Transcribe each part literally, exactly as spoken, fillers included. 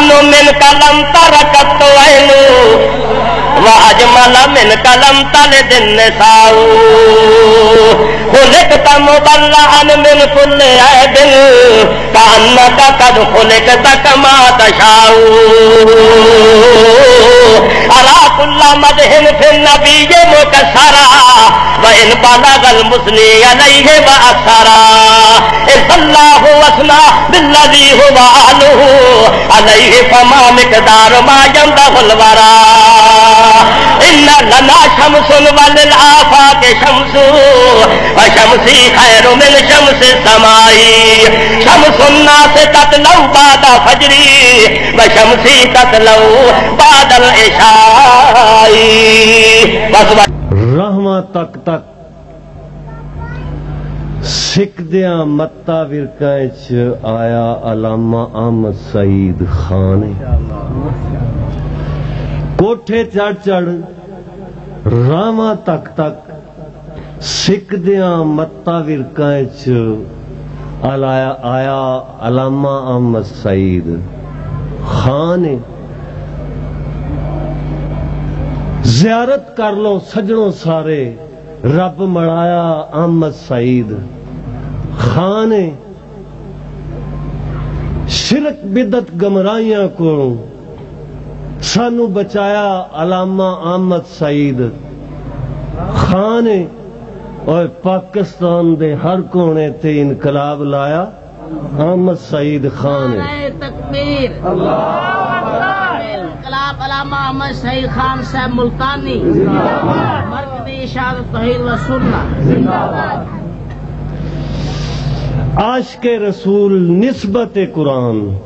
من قلم ترکت عینو، واجمل من قلم تلد النساء۔ خلقت مبرأ من کل عیب، کأنک قد خلقت کما تشاء۔ ارا کل مدح فی النبی مکسرا، وان بلغ المثنی علیہ واکثرا۔ اذ اللہ وثنا بالذی هو اہلہ، علیہ فما مقدار ما یمدح الورا۔ ان لنا شمس وللآفاق شمس، وشمسی خیر من شمس السماء۔ شمس الناس تطلع بعد فجری، وشمسی تطلع بعد العشاء۔ بس، بس۔ رحمت تک تک سکھ دیاں متاں ورقاں اچ آیا علامہ احمد سعید خان۔ کوٹھے چڑھ چڑھ راواں تک تک سکھ دیاں متاں ورقاں اچ آیا، آیا علامہ احمد سعید خان۔ زیارت کر لو سجنوں سارے، رب مڑایا احمد سعید خان۔ شرک بدعت گمراہیاں کو سانو بچایا علامہ احمد سعید خان۔ اور پاکستان دے ہر کونے تے انقلاب لایا احمد سعید خان۔ نعرہ تکبیر۔ انقلاب علامہ احمد سعید خان صاحب ملتانی، مرکزی اشاعت توحید و سنت۔ عاشق رسول نسبت قرآن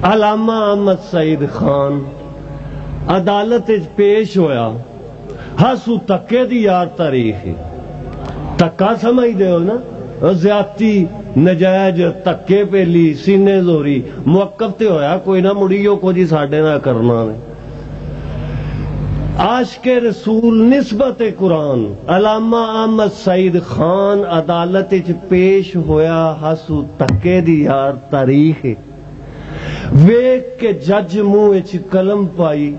علامہ احمد سعید خان عدالت وچ پیش ہویا۔ ہاسو تکے دی یار تاریخ ہے۔ تکا سمجھ دے ہو نا؟ او زیادتی، نجائز، تکے پیلی، سینے زوری، موقف تے ہویا کوئی نہ، مڑی او کچھ ہی ساڈے نال کرنا نے۔ عاشق رسول نسبت قرآن علامہ احمد سعید خان عدالت وچ پیش ہویا، ہاسو تکے دی یار تاریخ ہے۔ ویکھ کے جج منہ وچ قلم پائی،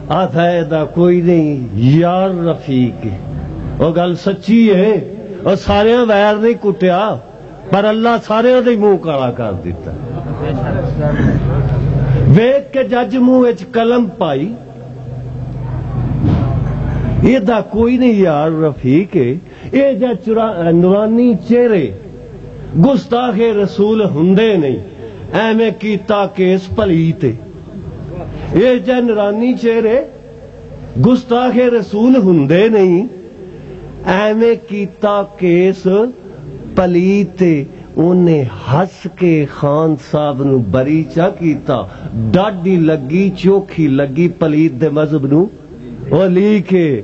آدھا، "اے دا کوئی نہیں، یار رفیق ہے۔" او گل سچی ہے، او ساریاں ویر نہیں کٹیا، پر اللہ ساریاں دے منہ کالا کر دیتا۔ ویکھ کے جج منہ وچ قلم پائی، "اے دا کوئی نہیں، یار رفیق ہے۔" اے جے چرا-، نورانی چہرے گستاخ رسول ہوندے نہیں، ایویں کیتا کیس پلیت۔ اے جے نورانی چہرے گستاخ رسول ہوندے نہیں، ایویں کیتا کیس پلیت۔ انہیں ہس کے خان صاحب نو بری چا کیتا، ڈاڈی لگی، چوکھی لگی پلیت دے مذہب نو۔ او لیک ہے،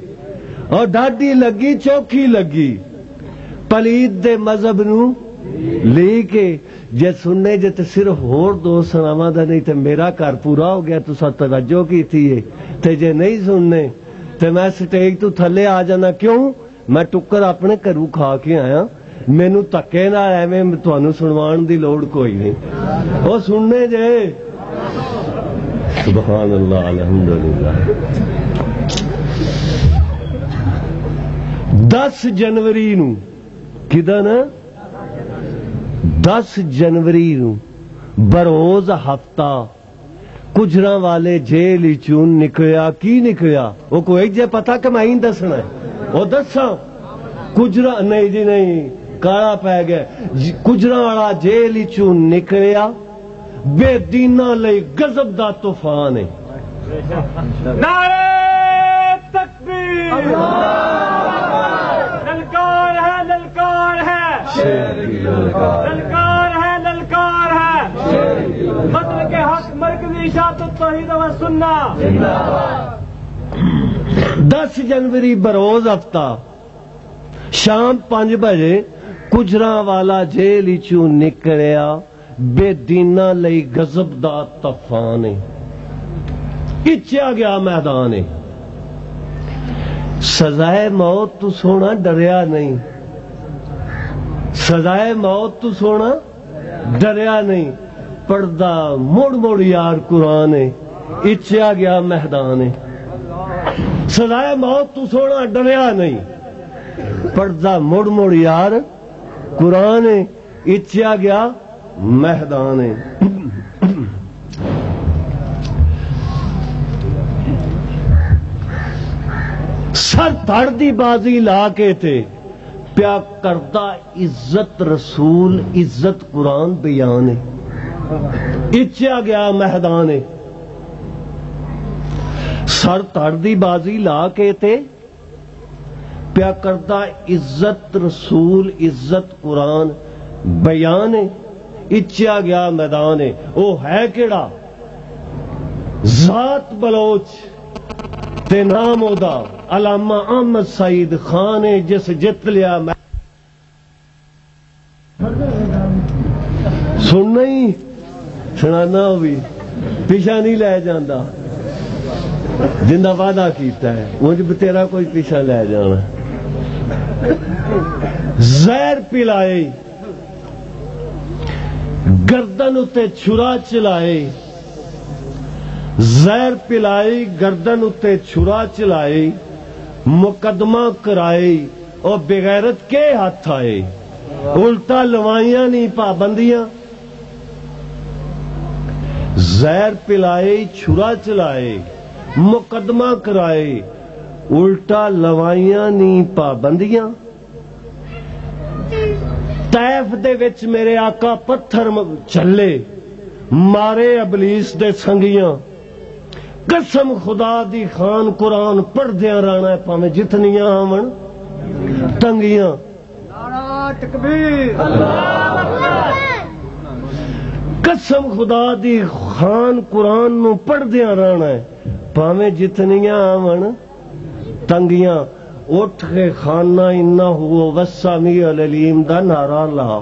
او ڈاڈی لگی، چوکھی لگی، پلید دے مذہب نو لیک ہے۔ جے سننے جے تے صرف ہور دو سناواں دا، نہیں تے میرا گھر پورا ہو گیا، تساں توجہ کیتی ہے۔ تے جے نہیں سننے تے میں سٹیج تو تھلے آ جانا۔ کیوں؟ میں ٹکر اپنے گھروں کھا کے آیا، مینوں دھکے نال ایویں تانوں سنوان دی لوڑ کوئی نہیں۔ او سننے جے۔ سبحان اللہ، الحمدللہ۔ دس جنوری نو، کدا نا؟ دس جنوری نو بروز ہفتہ کجراں والے جیل وچوں نکلیا۔ کی نکلیا؟ او کوئی جے پتہ کہ میں ہی دسنا ہے؟ او دساں۔ کجراں، نہیں جی نہیں، کالا پے گیا۔ جی، کجراں والا جیل وچوں نکلیا، بے دیناں لئی غضب دا طوفان ہے۔ نعرہ تکبیر! للکار ہے، للکار ہے۔ شیر کی للکار۔ للکار ہے، للکار ہے۔ شیر کی للکار۔ مطلب کہ حق مرکزی اشاعت توحید و سنت۔ دس جنوری بروز ہفتہ شام پنج بجے کجراں والا جیل وچوں نکلیا، بے دیناں لئی غضب دا طوفان ہے۔ اچیا گیا میدان ہے۔ سزائے موت تو سونا ڈریا نہیں، سزائے موت تو سونا ڈریا نہیں۔ پڑھدا مڑ مڑ یار قرآن ہے، اچیا گیا میدان ہے۔ سزائے موت تو سونا ڈریا نہیں، پڑھدا مڑ مڑ یار قرآن ہے، اچیا گیا میدان ہے۔ سر تھڑ دی بازی لا کے تے پیا کردا عزت رسول، عزت قرآن بیان ہے۔ اچیا گیا میدان ہے۔ سر تھڑ دی بازی لا کے تے پیا کردا عزت رسول، عزت قرآن بیان ہے۔ اچیا گیا میدان ہے۔ او ہے کیڑا؟ ذات بلوچ تے نام اودا علامہ احمد سعید خان ہے، جس جت لیا میں سننا ہی سنانا ہو بھی پیچھا نہیں لے جانا۔ جندا وعدہ کیتا ہے، انج بتیرا کوئی پیچھا لے جانا۔ زہر پلائے، گردن اتے چھرا چلائے، زہر پلائی، گردن اتے چھرا چلائی، مقدمہ کرائی، او بغیرت کے ہاتھ آئے؟ الٹا لوائیاں نہیں پابندیاں۔ زہر پلائی، چھرا چلائی، مقدمہ کرائی، الٹا لوائیاں نہیں پابندیاں۔ طائف دے وچ میرے آقا پتھر م-، جھلے، مارے ابلیس دے سنگیاں۔ قسم خدا دی خان قرآن پڑھدیاں رہنا ہے، پاویں جتنیاں آون تنگیاں۔ نعرہ تکبیر۔ قسم خدا دی خان قرآن نو پڑھدیاں رہنا ہے، پاویں جتنیاں آون تنگیاں۔ اٹھ کے خانہ انہ ہو وسا می العلیم دا نعرہ لا،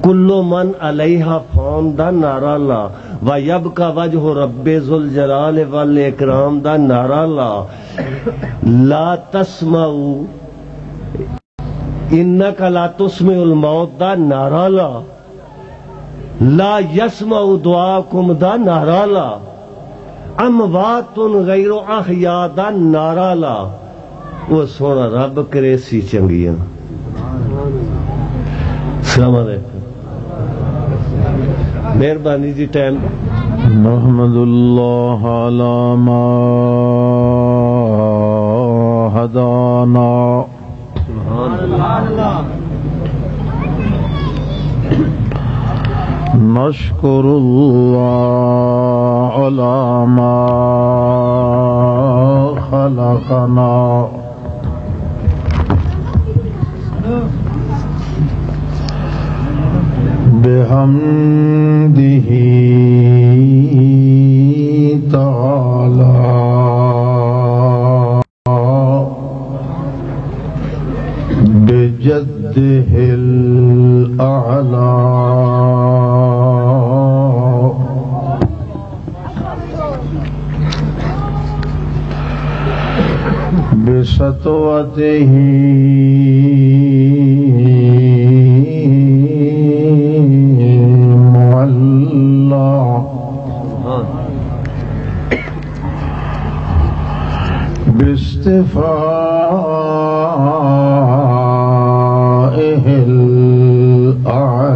کل من علیہ فان دا نعرہ لا، و یبقى وجہ رب ذوالجلال والاکرام دا نعرہ لا، لا تسمعوا انک لا تسمع الموت دا نعرہ لا، لا یسمع دعاکم دا نعرہ لا، اموات غیر احیاء دا نعرہ لا۔ او سونا رب کریسی چنگیاں۔ السلام علیکم۔ مہربانی جی، ٹائم۔ نحمد اللہ علی ما ہدانا۔ نشکر اللہ علی ما خلقنا۔ بحمده تعالی، بجده الاعلی۔ بسطوته معلى، باصطفائه الأعلى۔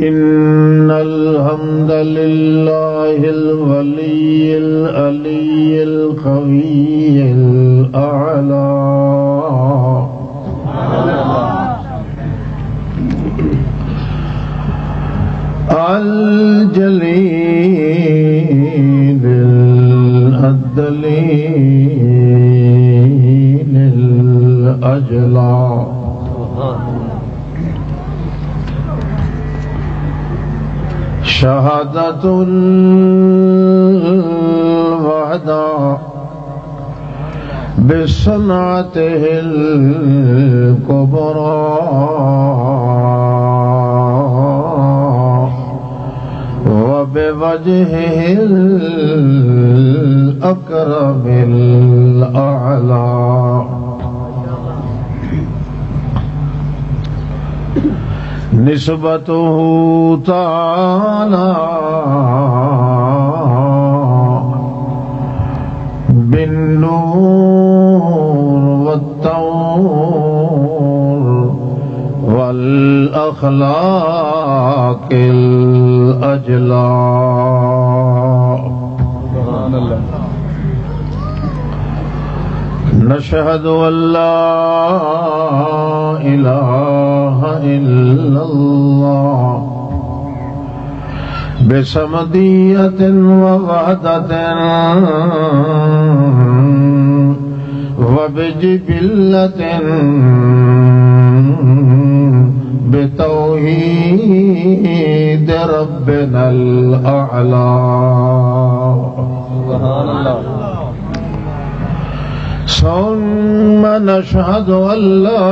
إن الحمد لله الولي العلي القوي الأعلى، الجليل الدليل الأجلى، شهادة الوحدى، بصنعته الكبرى وبوجهه الأكرم الأعلى. نسبته تعالى بالنور والطور والأخلاق الأجلى. سبحان الله. نشهد أن لا إله إلا الله بصمدية ووحدة وبجبلة بتوحيد ربنا الأعلى. سبحان الله. ثم نشهد أن لا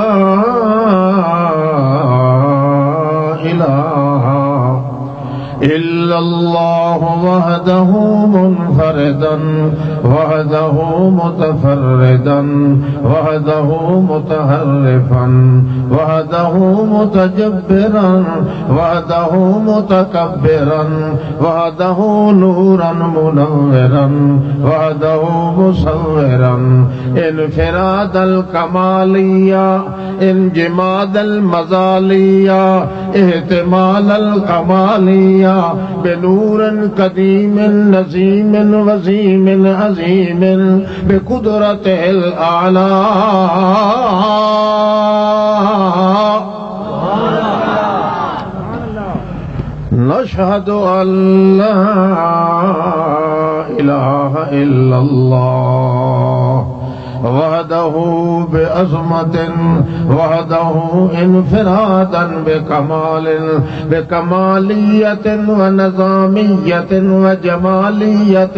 إله إلا الله وحده منفردا، وحده متفردا، وحده متحرفا، وحده متجبرا، وحده متكبرا، وحده نورا منورا، وحده مصورا، انفراد الكمالية، انجماد المزالية، احتمال الكمالية، بنور قديم نظيم وسيم عظيم، بقدرته الأعلى. نشهد أن لا إله إلا الله وحده بعظمة، وحده انفرادا بكمال، بكمالية ونظامية وجمالية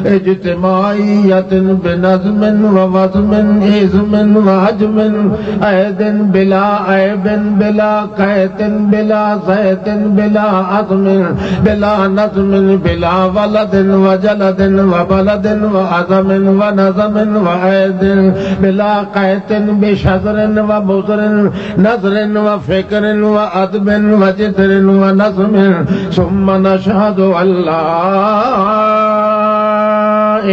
اجتماعية، بنظم ووزم، إذم وحجم، أيد بلا عيب، بلا قيت، بلا زيت، بلا عظم، بلا نظم، بلا ولد وجلد وبلد وعظم ونظم وأيد، بلا قيت بشذر ومزر، نظر وفكر وأدب وجدر ونظم. ثم نشهد أن لا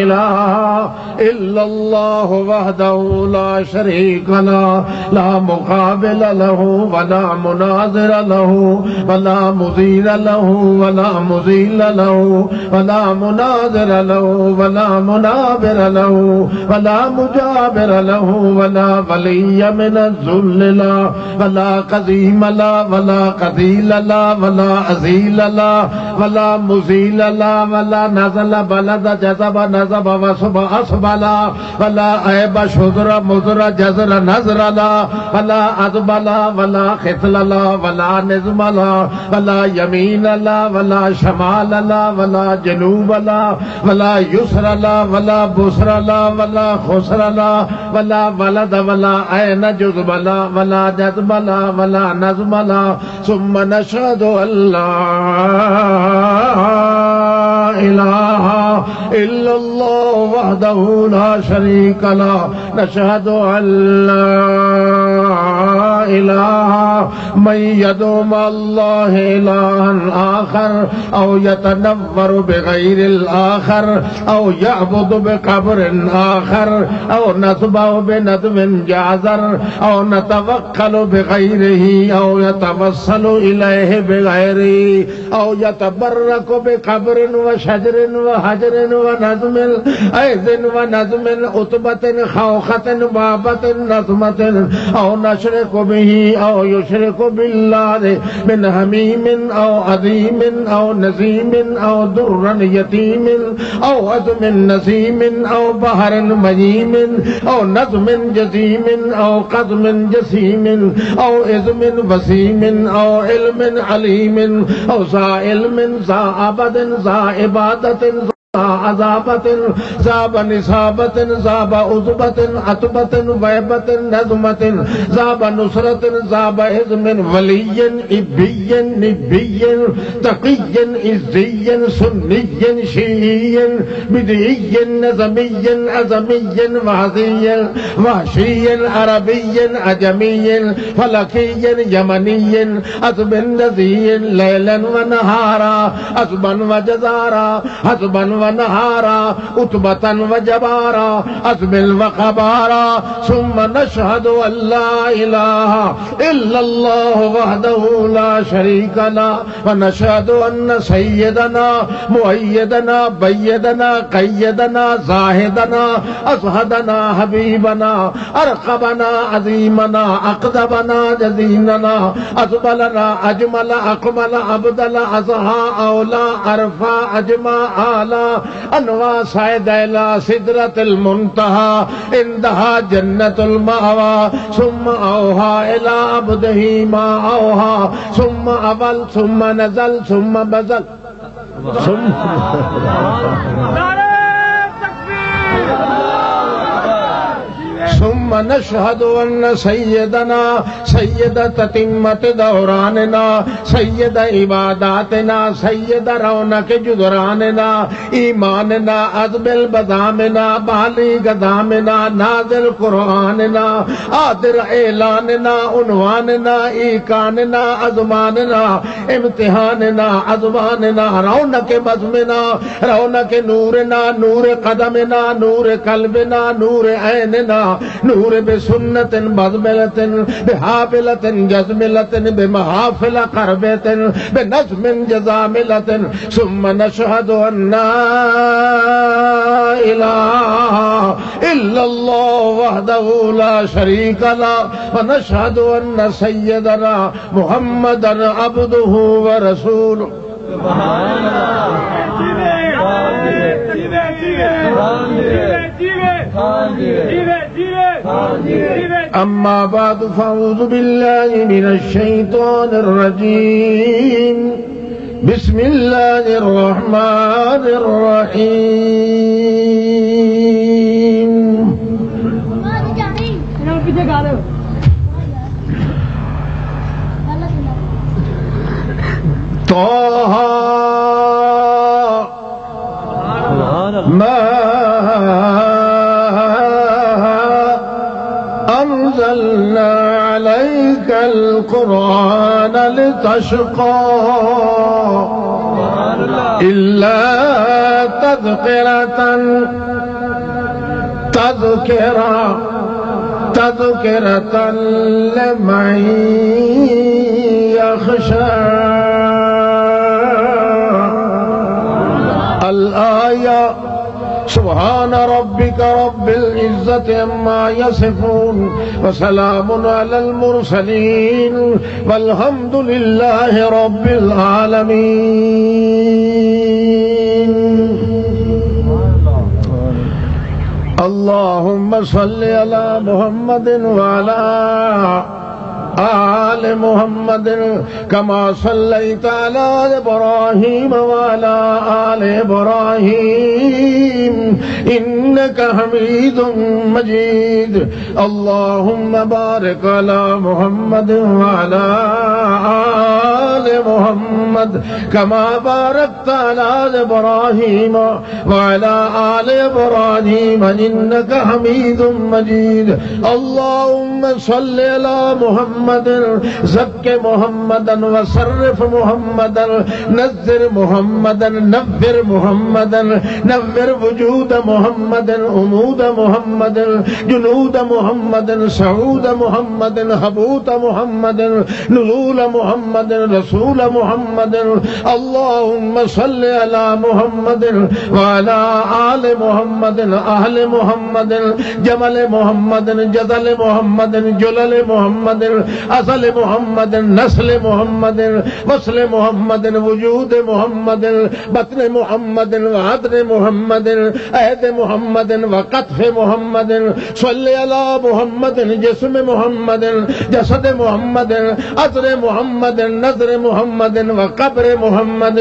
إله إلا الله وحده لا شريك له، لا مقابل له ولا مناظر له، ولا مزيل له ولا مزيل له، ولا مناظر له ولا منابر له، ولا مجابر له، ولا ولي من الذل له، ولا قديم لا، ولا قديل لا، ولا أزيل لا، ولا مزيل لا، ولا نزل بلد جذب نصب وصب أسبلا، ولا عيب شذر مزر جزر نزر لا، ولا أذب لا، ولا خصل لا، ولا نظم لا، ولا يمين لا، ولا شمال لا، ولا جنوب لا، ولا يسر لا، ولا بسر لا، ولا خسر لا، ولا ولد ولا عين جذب لا، ولا جذب لا، ولا نظم لا. ثم نشهد أن لا إله إلا الله وحده لا شريك له. نشهد أن لا إله من يدعو مع الله إلها آخر، أو يتنور بغير الآخر، أو يعبد بقبر آخر، أو نصبه بندم جعزر، أو نتوكل بغيره، أو يتوسل إليه بغيره، أو يتبرك بقبر وشجر وحجر ونظم، أيد ونظم، عتبة خوخة بابة نظمة، أو نشرك به، أو يشرك بالله من حميم أو عظيم أو نسيم أو در يتيم أو عظم نسيم أو بحر ميم أو نظم جسيم أو قزم جسيم أو عظم وسيم أو علم عليم أو ذا علم ذا عبد ذا عبادة عذابة، ذاب نسابة، ذاب عذبة، عتبة، وهبة، نظمة، ذاب نصرة، ذاب عزم، ولي، إبي، نبي، تقي، عزي، سني، شيعي، بدعي، نظمي، عزمي، وهزي، وحشي، عربي، عجمي، فلكي، يمني، عذب، نزي، ليلا ونهارا، عذبا وجزارا، حسبا ونهارا، عتبة وجبارا، أزمل وخبارا، ثم نشهد أن لا إله إلا الله وحده لا شريك له، ونشهد أن سيدنا مؤيدنا بيدنا قيدنا زاهدنا أزهدنا حبيبنا أرقبنا عظيمنا أقدبنا جزيلنا أزبلنا أجمل أقبل أبدل أزهى أولى أرفع أجمع أعلى أنوى صعد إلى سدرة المنتهى عندها جنة المأوى ثم أوحى إلى عبده ما أوحى ثم أول ثم نزل ثم بزل ثم ثم نشهد أن سيدنا سيد تتمة دوراننا، سيد عباداتنا، سيد رونق جدراننا، ایماننا، عزب البدامنا، بالی گدامنا، نازل قرآننا، آدر اعلاننا، عنواننا، ایکاننا، ازماننا، امتحاننا، ازماننا، رونق بزمنا، رونق نورنا، نور قدمنا، نور قلبنا، نور عیننا، نور بسنة بزملة بحافلة جزملة بمحافل قربة بنظم جزاملة ثم نشهد أن لا إله إلا الله وحده لا شريك له ونشهد أن سيدنا محمدا عبده ورسوله. أما بعد، فأعوذ بالله من الشيطان الرجيم. بسم الله الرحمن الرحيم. طه. ما أنزلنا عليك القرآن لتشقى إلا تذكرة، تذكرة، تذكرة لمن يخشى. الآية. سبحان ربك رب العزة عما يصفون وسلام على المرسلين والحمد لله رب العالمين. اللهم صل على محمد وعلى آل محمد كما صليت على إبراهيم وعلى آل إبراهيم إنك حميد مجيد. اللهم بارك على محمد وعلى آل محمد كما باركت على إبراهيم وعلى آل إبراهيم إنك حميد مجيد. اللهم صل على محمد، زك محمدا وشرف محمدا، نذر محمدا، نور محمدا، نور وجود محمد، عمود محمد، جنود محمد، صعود محمد، هبوط محمد، نزول محمد، رسول محمد. اللهم صل على محمد وعلى آل محمد، أهل محمد، جمل محمد، جزل محمد، جلل محمد، أصل محمد، نسل محمد، وصل محمد، وجود محمد، بطن محمد، وعدن محمد، عهد محمد، وقطف محمد، صل على محمد، جسم محمد، جسد محمد، عطر محمد، نظر محمد وقبر محمد،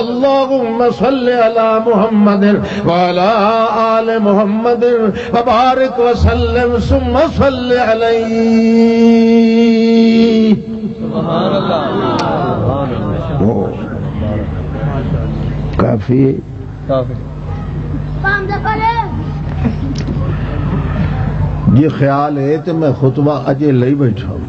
اللهم صل على محمد وعلى آل محمد وبارك وسلم ثم صل عليه۔ کافی۔ جی خیال ہے تو میں خطبہ اجے لئی بیٹھا ہوں۔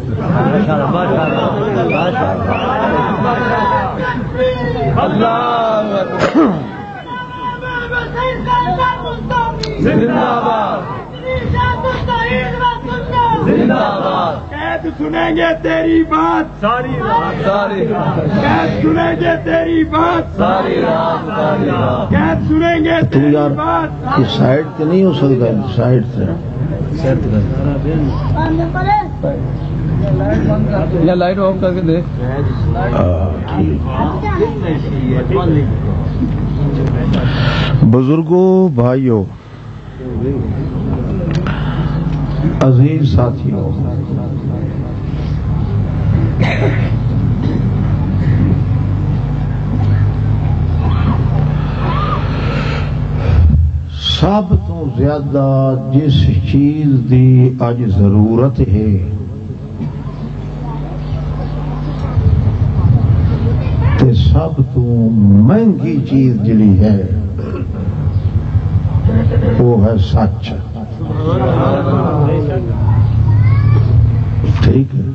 قید سنیں گے تیری بات ساری رات، ساری رات۔ قید سنیں گے تیری بات ساری رات، ساری رات۔ قید سنیں گے تو تیری یار، بات۔ یہ سائیڈ تے نہیں ہو سکتا؟ سائیڈ تے۔ یا لائٹ آف کر کے دے۔ ہاں، ٹھیک۔ بزرگو، بھائیو، عزیز ساتھیو، سب تو زیادہ جس چیز دی اج ضرورت ہے، تے سب تو مہنگی چیز جڑی ہے، وہ ہے سچ۔ ٹھیک ہے؟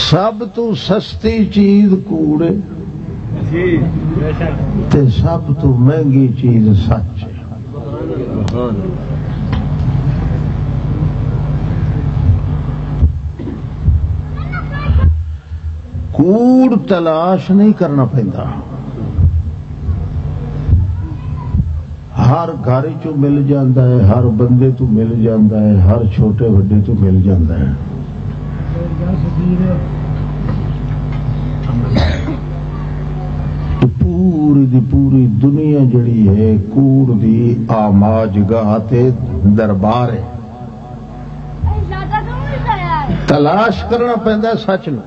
سب تو سستی چیز کوڑ ہے، تے سب تو مہنگی چیز سچ ہے۔ کوڑ تلاش نہیں کرنا پیندا، ہر گھر چوں مل جاندا ہے، ہر بندے تو مل جاندا ہے، ہر چھوٹے وڈے تو مل جاندا ہے۔ تو پوری دی پوری دنیا جڑی ہے، کوڑ دی آماج گاہ تے دربار ہے۔ تلاش کرنا پیندا ہے سچ نو۔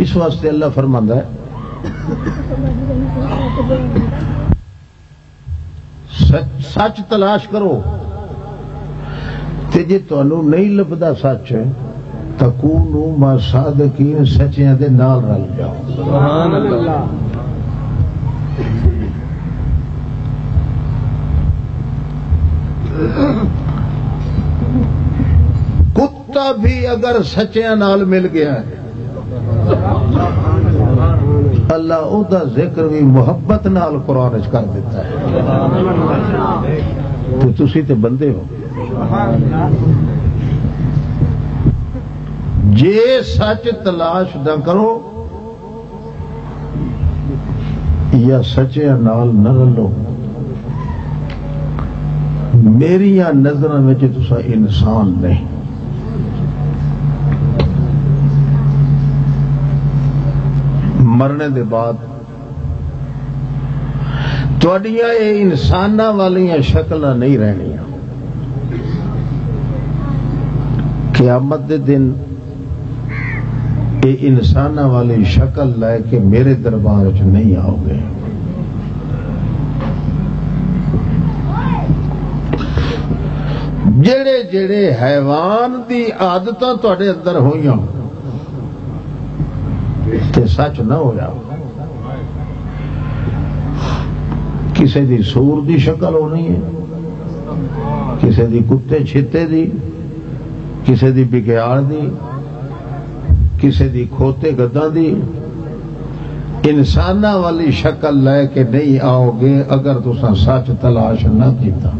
اس واسطے اللہ فرماندا ہے، سچ، سچ تلاش کرو، تے جے تانوں نہیں لبدا سچ، تکونوا مع صادقین، سچیاں دے نال رل جاؤ۔ سبحان اللہ۔ کتا بھی اگر سچیاں نال مل گیا ہے، اللہ او دا ذکر بھی محبت نال قرآن وچ کر دیتا ہے۔ تو تسی تے بندے ہو۔ جے سچ تلاش نہ کرو یا سچیاں نال نہ رلو، میریاں نظراں وچ تساں انسان نہیں۔ مرنے دے بعد تہاڈیاں اے انساناں والیاں شکلاں نہیں رہنیاں۔ قیامت دے دن اے انساناں والی شکل لے کے میرے دربار وچ نہیں آؤ گے۔ جڑے جڑے حیوان دی عادتاں تہاڈے اندر ہوئیاں، تے سچ نہ ہویا۔ کسے دی سور دی شکل ہونی ہے، کسے دی کتے چھتے دی، کسے دی بگیاڑ دی، کسے دی کھوتے گداں دی۔ انساناں والی شکل لے کے نہیں آؤ گے اگر تساں سچ تلاش نہ کیتا۔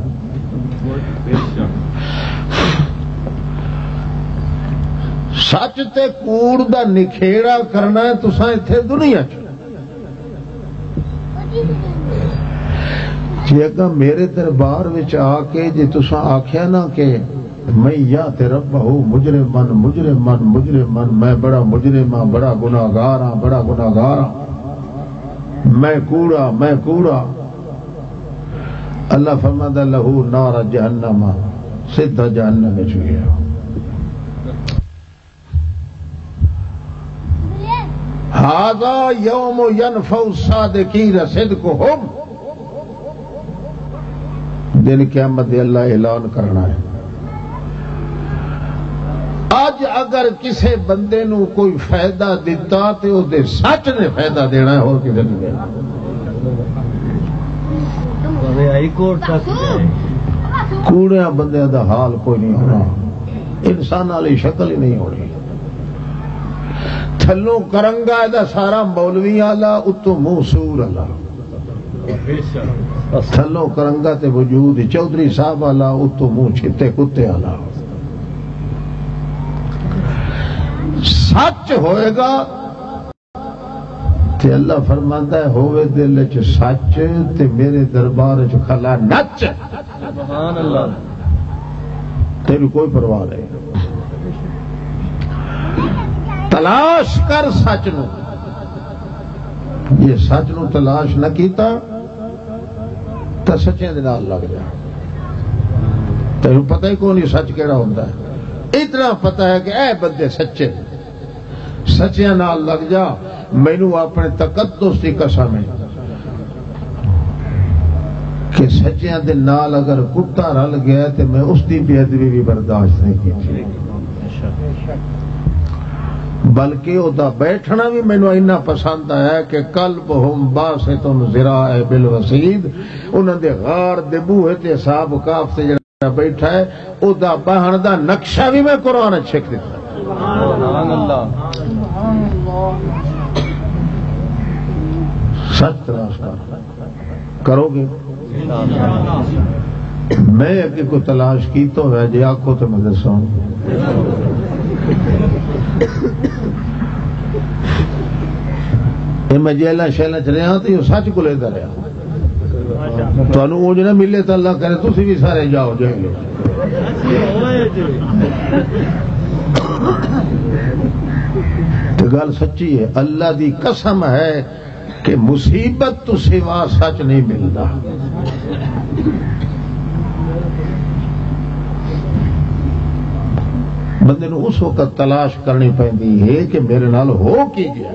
سچ تے کوڑ دا نکھیڑا کرنا ہے تساں اتھے دنیا چ۔ جے اگاں میرے دربار وچ آ کے جے تساں آکھیا نا کہ من یات ربہ مجرمن، مجرمن، مجرمن، میں بڑا مجرم ہاں، بڑا گناہگار ہاں، بڑا گناہگار ہاں، میں کوڑا، میں کوڑا، اللہ فرماتا، "لہو نار جہنم"، سیدھا جہنم وچ گیا۔ "ھذا یوم ینفع الصادقین صدقہم"، دن قیامت دے اللہ اعلان کرنا ہے۔ اج اگر کسے بندے نو کوئی فائدہ دتا تے او دے سچ نے فائدہ دینا ہے، ہور کسے نہیں دینا۔ کوڑیاں بندیاں دا حال کوئی نہیں ہونا، انسان والی شکل ہی نہیں ہونی۔ تھلوں کرنگا دا سارا مولوی آلا، اتوں منہ سور آلا۔ تھلوں کرنگا تے وجود چودھری صاحب آلا، اتوں منہ چھتے کتے آلا۔ سچ ہوئے گا تے اللہ فرماندا ہے، ہووے دل وچ سچ تے میرے دربار وچ کھلا نچ۔ سبحان اللہ۔ تیری کوئی پرواہ نہیں۔ تلاش کر سچ نو۔ جے سچ نو تلاش نہ کیتا، تاں سچیاں دے نال لگ جا۔ تینوں پتہ ہی کوئی نہیں سچ کیڑا ہوندا ہے۔ اتنا پتہ ہے کہ اے بندے سچے، سچیاں نال لگ جا۔ مینوں اپنے تقدس دی قسم ہے کہ سچیاں دے نال اگر کتا رل گیا تے میں اس دی بے ادبی بھی برداشت نہیں کیتی، بلکہ او دا بیٹھنا بھی مینوں اینا پسند آیا کہ قلبہم باسط ذراعہ بالوصید، انہاں دے غار دے بوہے تے اصحاب کہف تے جڑا بیٹھا ہے، او دا باہن دا نقشہ بھی میں قرآن وچ چھک دیتا۔ سبحان اللہ۔ سچ تلاش کر، کرو گے؟ میں اگے کوئی تلاش کیتا ہوا جے آکھو تو میں دساں۔ اے میں جیلاں شیلاں چ رہیا تے او سچ کو لیدا رہیا۔ تانوں اونج نہ ملے تاں اللہ کرے تسی بھی سارے جاؤ جیل۔ تے گل سچی ہے، اللہ دی قسم ہے کہ مصیبت تو سوا سچ نہیں ملدا۔ بندے نوں اس وقت تلاش کرنی پیندی ہے کہ میرے نال ہو کی گیا۔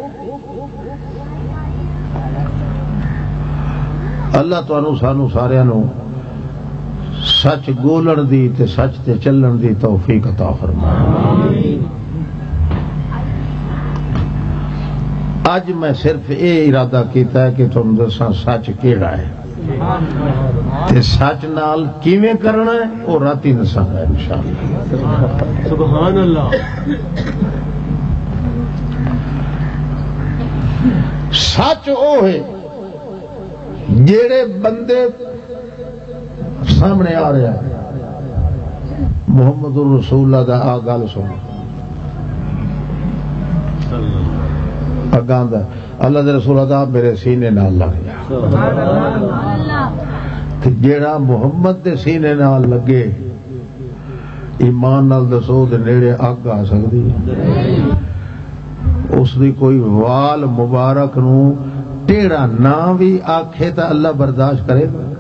اللہ تانوں سانوں ساریاں نوں سچ گولن دی تے سچ تے چلن دی توفیق عطا فرمائے۔ اج میں صرف اے ارادہ کیتا ہے کہ تم دساں سچ کیڑا ہے تے سچ نال کیویں کرنا ہے، او راتی دساں گا انشاءاللہ۔ سبحان اللہ۔ سچ او ہے جڑے بندے سامنے آ رہا ہے، محمد رسول اللہ دا آ گل سن، اگاں دا اللہ دے رسول دا میرے سینے نال لگ جا۔ تے جیڑا محمد دے سینے نال لگے، ایمان نال دسو، دے نیڑے اگ آ سکدی ہے؟ اس دی کوئی وال مبارک نو ٹیڑا نہ وی آکھے تاں اللہ برداشت کرے گا؟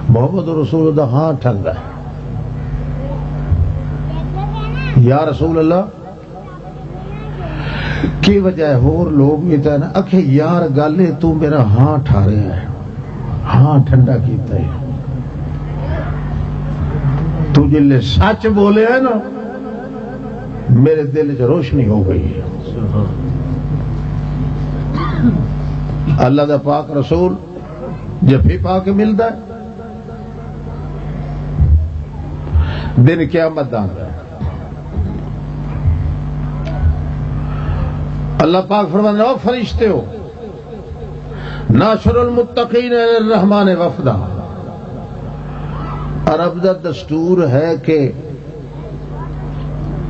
محمد رسول دا ہاں ٹھنڈا ہے۔ یا رسول اللہ، کی وجہ ہے؟ ہور لوگ بھی تھے نا، اکھے یار گل ہے، تو میرا ہاں ٹھاریا ہے، ہاں ٹھنڈا کیتا ہے۔ تو جلے سچ بولے ہے نا، میرے دل چ روشنی ہو گئی ہے۔ اللہ دا پاک رسول جفی پا کے ملدا ہے، دن قیامت دا آندا ہے۔ اللہ پاک فرماندا، "او فرشتے ہو، ناشر المتقین الی الرحمن وفدا۔" عرب دا دستور ہے کہ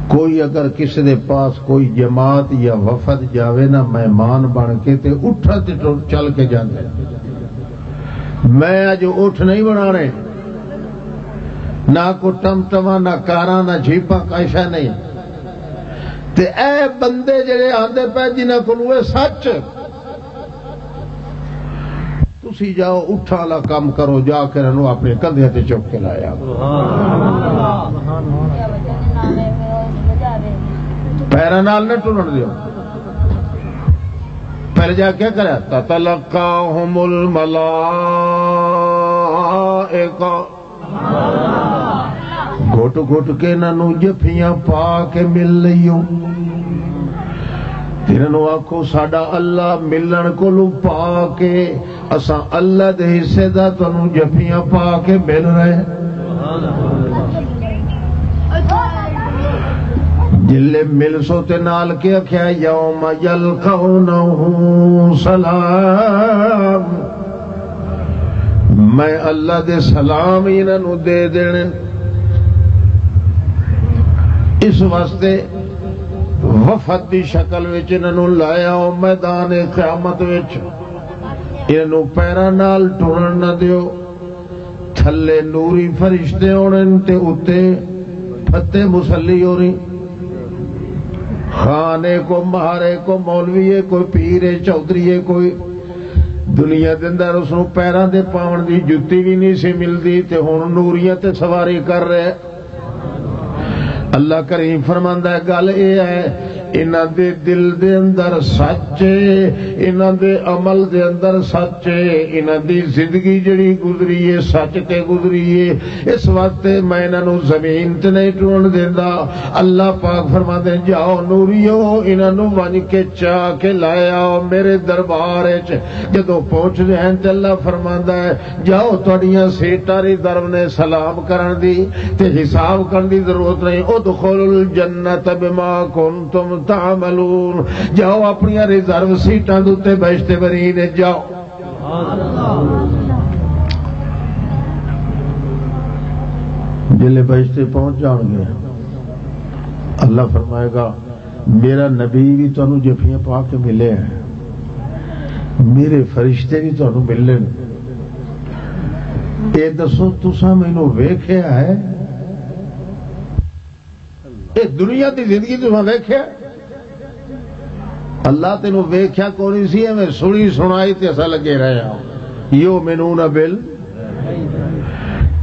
کوئی اگر کسی دے پاس کوئی جماعت یا وفد جاوے نا، مہمان بن کے، تے اٹھا تے ٹر-، چل کے جاندے۔ میں اج اٹھ نہیں بنانے، نہ کو ٹم ٹما، نہ کاراں، نہ جیپاں، کیسا نہیں۔ تے اے بندے جڑے آندے پے، جنہاں کولوں اے سچ، تسی جاؤ، اٹھاں والا کام کرو، جا کے انہاں نوں اپنے کندھیاں تے چک کے لایا۔ پیراں نال نہ ٹرن دیو۔ پہلے جا کے کریا، تتلقاہم الملائکہ۔ گھٹ گھٹ کے انہاں نوں جفیاں پا کے مل لئیو۔ تے انہاں نوں آکھو، ساڈا اللہ ملن کولوں پا کے، اساں اللہ دے حصے دا تانوں جفیاں پا کے مل رہے ہیں۔ جلے مل سو تے نال کے آکھیا، یوم یلقونہ سلام، میں اللہ دے سلام ہی انہاں نوں دے دینے۔ اس واسطے وفد دی شکل وچ انہاں نوں لایا او میدان قیامت وچ۔ انہاں نوں پیراں نال ٹرن نہ دیو۔ تھلے نوری فرشتے ہونے تے اُتے پھتے مسلی ہو رہی۔ خان ہے، کوئی مہر ہے، کوئی مولوی ہے، کوئی پیر ہے، چودھری ہے، کوئی دنیا دے اندر اس نوں پیراں دے پاون دی جُتی وی نہیں سی ملدی، تے ہن نوریاں تے سواری کر رہے۔ اللہ کریم فرماندا ہے، گل اے ہے، انہاں دے دل دے اندر سچ ہے، انہاں دے عمل دے اندر سچ ہے، انہاں دی زندگی جڑی گزری ہے، سچ تے گزری ہے۔ اس واسطے میں انہاں نوں زمین تے نہیں ٹرن دیندا۔ اللہ پاک فرماندے، جاؤ نوریو، انہاں نوں ونج کے چا کے لے آؤ میرے دربار وچ۔ جدوں پہنچدے ہیں تے اللہ فرماندا ہے، جاؤ، تہاڈیاں سیٹاں ریزرو نے سلام کرن دی تے حساب کرن دی ضرورت نہیں۔ ادخلوا الجنت بما کنتم تعملون۔ جاؤ، اپنیاں ریزرو سیٹاں دے اُتے بہشت برین وچ جاؤ۔ جلے بہشت پہنچ جان گے، اللہ فرمائے گا، میرا نبی بھی تانوں جفیاں پا کے ملے ہیں، میرے فرشتے بھی تانوں ملن۔ اے دسو، تساں مینوں ویکھیا ہے؟ اے دنیا دی زندگی تساں ویکھیا؟ اللہ تینوں ویکھیا کوئی نہیں سی، ایویں سنی سنائی تے اساں لگے رہے ہاں۔ یؤمنون بال،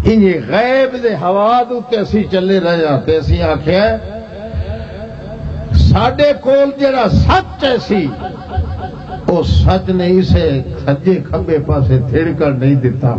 انہیں غیب دے حواس اُتے اسی چلے رہے ہاں تے اسی آکھیا، ساڈے کول جڑا سچ ہے سی، او سچ نے اسے سجے کھبے پاسے تھڑکن نہیں دتا۔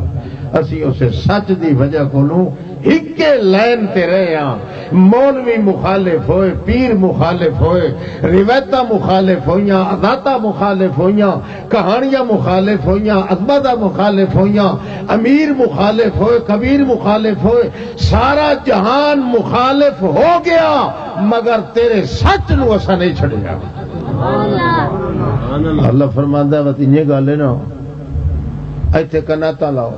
اسی اسے سچ دی وجہ کولوں ہکے لائن تے رہے ہاں۔ مولوی مخالف ہوئے، پیر مخالف ہوئے، روایتاں مخالف ہوئیاں، عادتاں مخالف ہوئیاں، کہانیاں مخالف ہوئیاں، عظمتاں مخالف ہوئیاں، امیر مخالف ہوئے، کبیر مخالف ہوئے، سارا جہان مخالف ہو گیا، مگر تیرے سچ نو اساں نہیں چھڈیا۔ اللہ فرماندا ہے، بس انہیں گل ہے نا، ایتھے کناتاں لاؤ،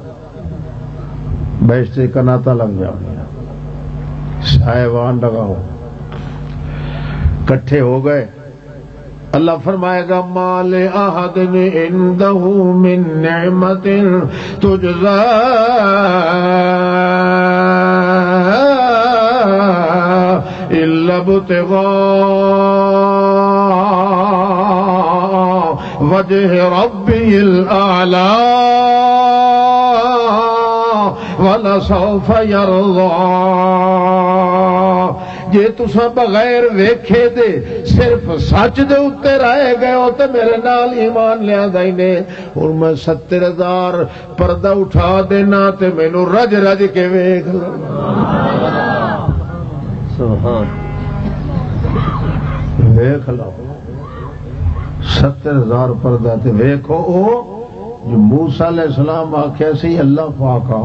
بہشت کناتاں لگ جاؤ، سائے وان لگاؤ، کٹھے ہو گئے۔ اللہ فرمائے گا، ما لأحد عنده من نعمة تجزى إلا ابتغاء وجه ربه الأعلى ولسوف يرضى۔ جے تساں بغیر ویکھے دے صرف سچ دے اُتے رہ گئے ہو تے میرے نال ایمان لیاندا ہی نے۔ ہن میں ستر ہزار پردہ اٹھا دینا تے مینوں رج رج کے ویکھ لو۔ سبحان۔ ویکھ لو۔ ستر ہزار پردہ تے ویکھو او جو موسیٰ علیہ السلام آکھیا سی، اللہ پاک آ،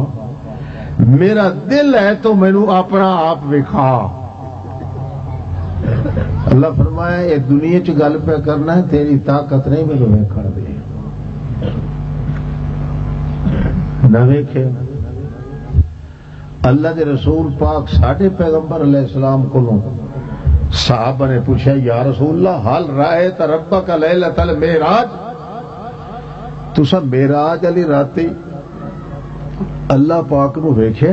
میرا دل ہے تو مینوں اپنا آپ وکھا۔ اللہ فرمایا، اے دنیا چ گل پہ کرنا ہے، تیری طاقت نہیں مینوں ویکھن دی۔ نہ ویکھے۔ اللہ دے رسول پاک ساڈے پیغمبر علیہ السلام کولوں صحابہ نے پوچھا، یا رسول اللہ، هل رأيت ربك ليلة المعراج؟ تساں معراج والی راتی اللہ پاک نو ویکھے؟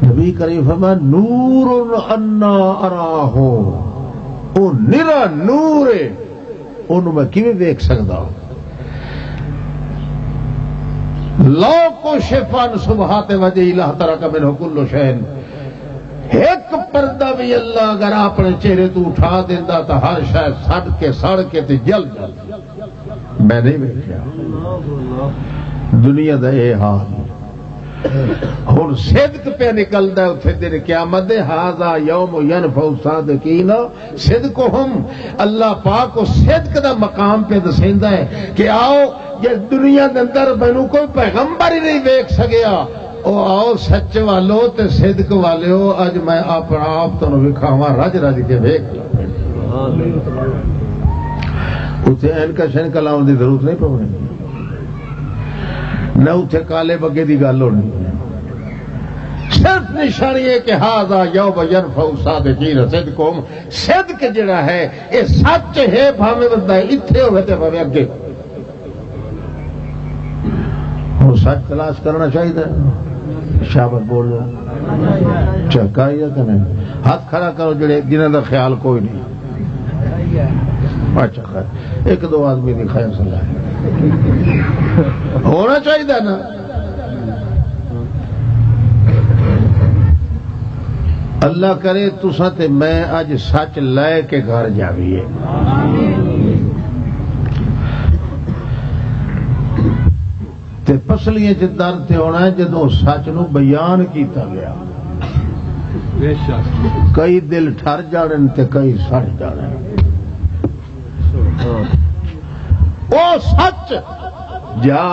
نبی کریم فرمایا، نور انا اراہ، او نرا نور ہے، اونوں میں کیویں ویکھ سکدا؟ لو کشف عن سبحات وجہ اللہ ترک منہ کل شین۔ ایک پردہ بھی اللہ اگر اپنے چہرے تو اٹھا دیتا تو ہر شے سڑ کے، سڑ کے تے جل جاتی۔ میں نہیں ویکھیا دنیا دا اے حال۔ ہن صدق پہ نکلدا ہے اتھے دن قیامت دے، ھذا یوم ینفع الصادقین صدقہم۔ اللہ پاک کو صدق دا مقام پہ دسیندا ہے کہ آؤ، جے دنیا دے اندر مینوں کوئی پیغمبر ہی نہیں ویکھ سکیا، او آؤ سچ والو تے صدق والیو، اج میں اپنا آپ تانوں وکھاواں، رج رج کے ویکھ لو۔ اتھے اینکا شینکا لاؤن دی ضرورت نہیں پونی، نہ اتھے کالے بگے دی گل ہونی۔ صرف نشانی ہے کہ ھذا یوم ینفع الصادقین صدقہم۔ صدق جڑا ہے، یہ سچ ہے، بھاویں بندہ اتھے ہوئے تے بھاویں اگے۔ ہن سچ تلاش کرنا چاہیے۔ شابت بولو، چکا یا کہ نہیں؟ ہاتھ کھڑا کرو جڑے، جنہاں دا خیال کوئی نہیں۔ اچھا، خیر، ایک دو آدمی دی خیر صلاح ہے۔ ہونا چاہیے نا۔ اللہ کرے تساں تے میں اج سچ لے کے گھر جاویے۔ تے پسلیاں چ درد تے ہونا ہے جدوں سچ نو بیان کیتا گیا۔ کئی دل ٹھر جانن تے کئی سڑ جانن۔ او سچ جا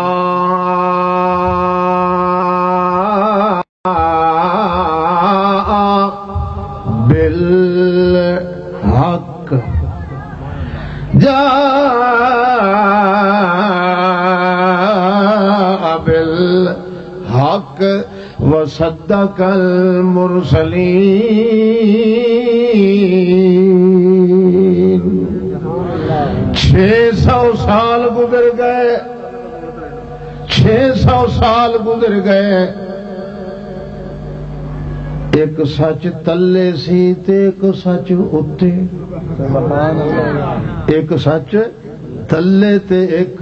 بالحق، جاء بالحق وصدق المرسلین۔ چھ سو سال گزر گئے، چھ سو سال گزر گئے، ایک سچ تلے سی تے ایک سچ اُتے۔ ایک سچ تلے تے ایک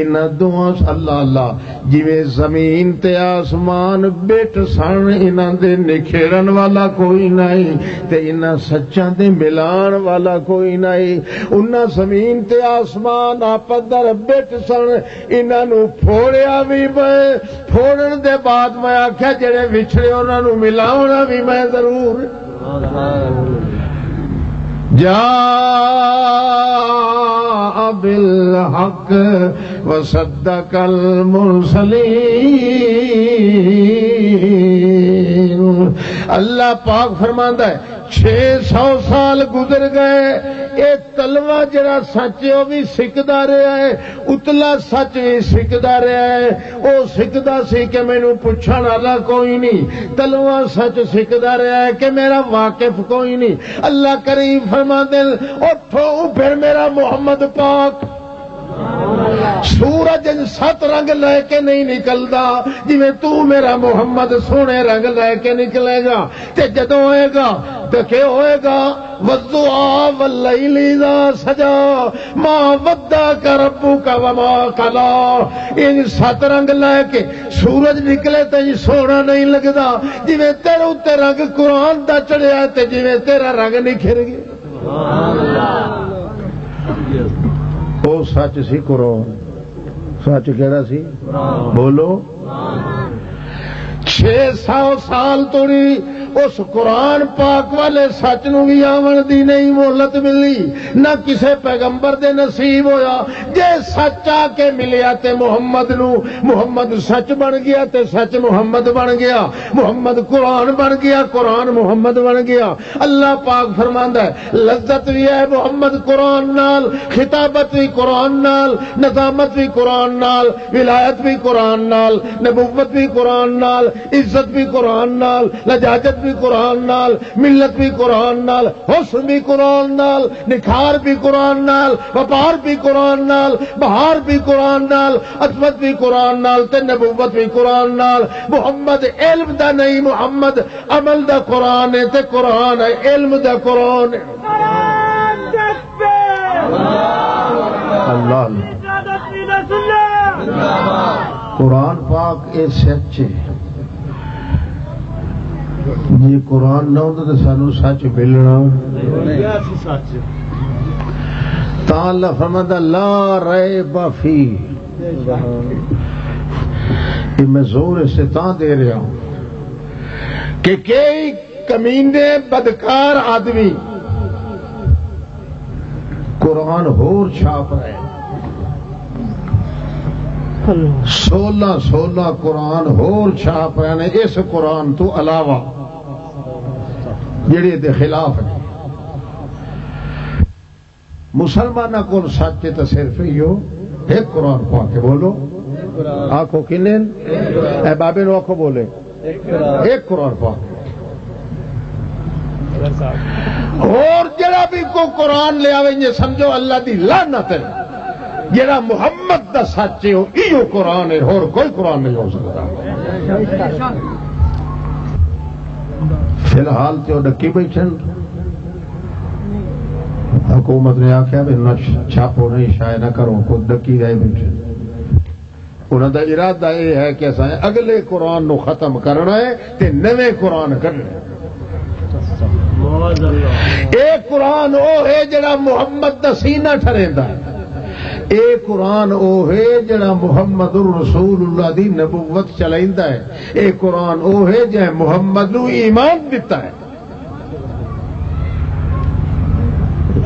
انہاں دوواں، اللہ اللہ، جویں زمین تے آسمان بٹ سن، انہاں دے نکھیڑن والا کوئی نہیں تے انہاں سچاں دے ملان والا کوئی نہیں۔ انہاں زمین تے آسمان آپس در بٹ سن، انہاں نوں پھوڑیا وی میں، پھوڑن دے بعد میں آکھیا، جڑے وچھڑے انہاں نوں ملاونا وی میں ضرور۔ جاء بالحق وصدق المرسلین۔ اللہ پاک فرماندا ہے، چھ سو سال گزر گئے، اے تلوا جڑا سچ ہے، او وی سکدا رہیا ہے، اتلا سچ وی سکدا رہیا ہے۔ او سکدا سی کہ مینوں پچھن والا کوئی نہیں، تلوا سچ سکدا رہیا ہے کہ میرا واقف کوئی نہیں۔ اللہ کریم فرماندے، اٹھو، پھر میرا محمد پاک سورج ان ست رنگ لے کے نہیں نکلدا، جویں تو میرا محمد سونے رنگ لے کے نکلے گا۔ تے جدوں ہوئے گا، تے کی ہوئے گا؟ والضحیٰ واللیل اذا سجیٰ، ما ودعک ربک وما قلیٰ۔ ان ست رنگ لے کے سورج نکلے تے سونا نہیں لگدا، جویں تیرے اُتے رنگ قرآن دا چڑھیا تے جویں تیرا رنگ نکھر گیا۔ او سچ سی قرآن۔ سچ کہڑا سی؟ بولو۔ چھ سو سال توڑی اس قرآن پاک والے سچ نو بھی آون دی نہیں مہلت ملی، نہ کسے پیغمبر دے نصیب ہویا۔ جے سچ آ کے ملیا تے محمد نو، محمد سچ بن گیا تے سچ محمد بن گیا، محمد قرآن بن گیا، قرآن محمد بن گیا۔ اللہ پاک فرماندا ہے، لذت بھی ہے محمد قرآن نال، خطابت بھی قرآن نال، نظامت بھی قرآن نال، ولایت بھی قرآن نال، نبوت بھی قرآن نال، عزت بھی قرآن نال، لجاجت بھی قرآن نال، ملت بھی قرآن نال، حسن بھی قرآن نال، نکھار بھی قرآن نال، وپار بھی قرآن نال، بہار بھی قرآن نال، عظمت بھی قرآن نال، تے نبوت بھی قرآن نال۔ محمد علم دا نہیں، محمد عمل دا قرآن ہے تے قرآن ہے علم دا قرآن ہے۔ اللہ اللہ۔ قرآن پاک اے سچ ہے۔ جے قرآن نہ ہوندا تے سانو سچ ملنا۔ تاں اللہ فرماندا، "لا ریب فیہ۔" یہ میں زور اس سے تاں دے رہا ہوں کہ کئی کمینے بدکار آدمی قرآن ہور چھاپ رہے ہیں۔ سولہ سولہ قرآن ہور چھاپ رہے ہیں اس قرآن تو علاوہ، جڑے دے خلاف نے۔ مسلماناں کول سچ تے صرف ایہو ایک قرآن پاک ہے۔ بولو، آکھو کنے؟ اے بابے نو آکھو، بولے، ایک قرآن پاک۔ اور جڑا بھی کوئی قرآن لے آوے، یہ سمجھو اللہ دی لعنت ہے۔ جڑا محمد دا سچ ہے، وہ ایہو قرآن ہے، اور کوئی قرآن نہیں ہو سکتا۔ فی الحال تے وہ ڈکی بیٹھے نے۔ حکومت نے آخیا بھی انہاں چھاپو نہیں، شائع نہ کرو، خود ڈکی رہے بیٹھے۔ انہاں دا ارادہ یہ ہے کہ اساں اگلے قرآن نو ختم کرنا ہے تے نویں قرآن کرنا ہے۔ اے قرآن او ہے جڑا محمد دا سینہ ٹھریندا ہے۔ اے قرآن او ہے جڑا محمد الرسول اللہ دی نبوت چلائندا ہے۔ اے قرآن او ہے جے محمد نو ایمان دتا ہے۔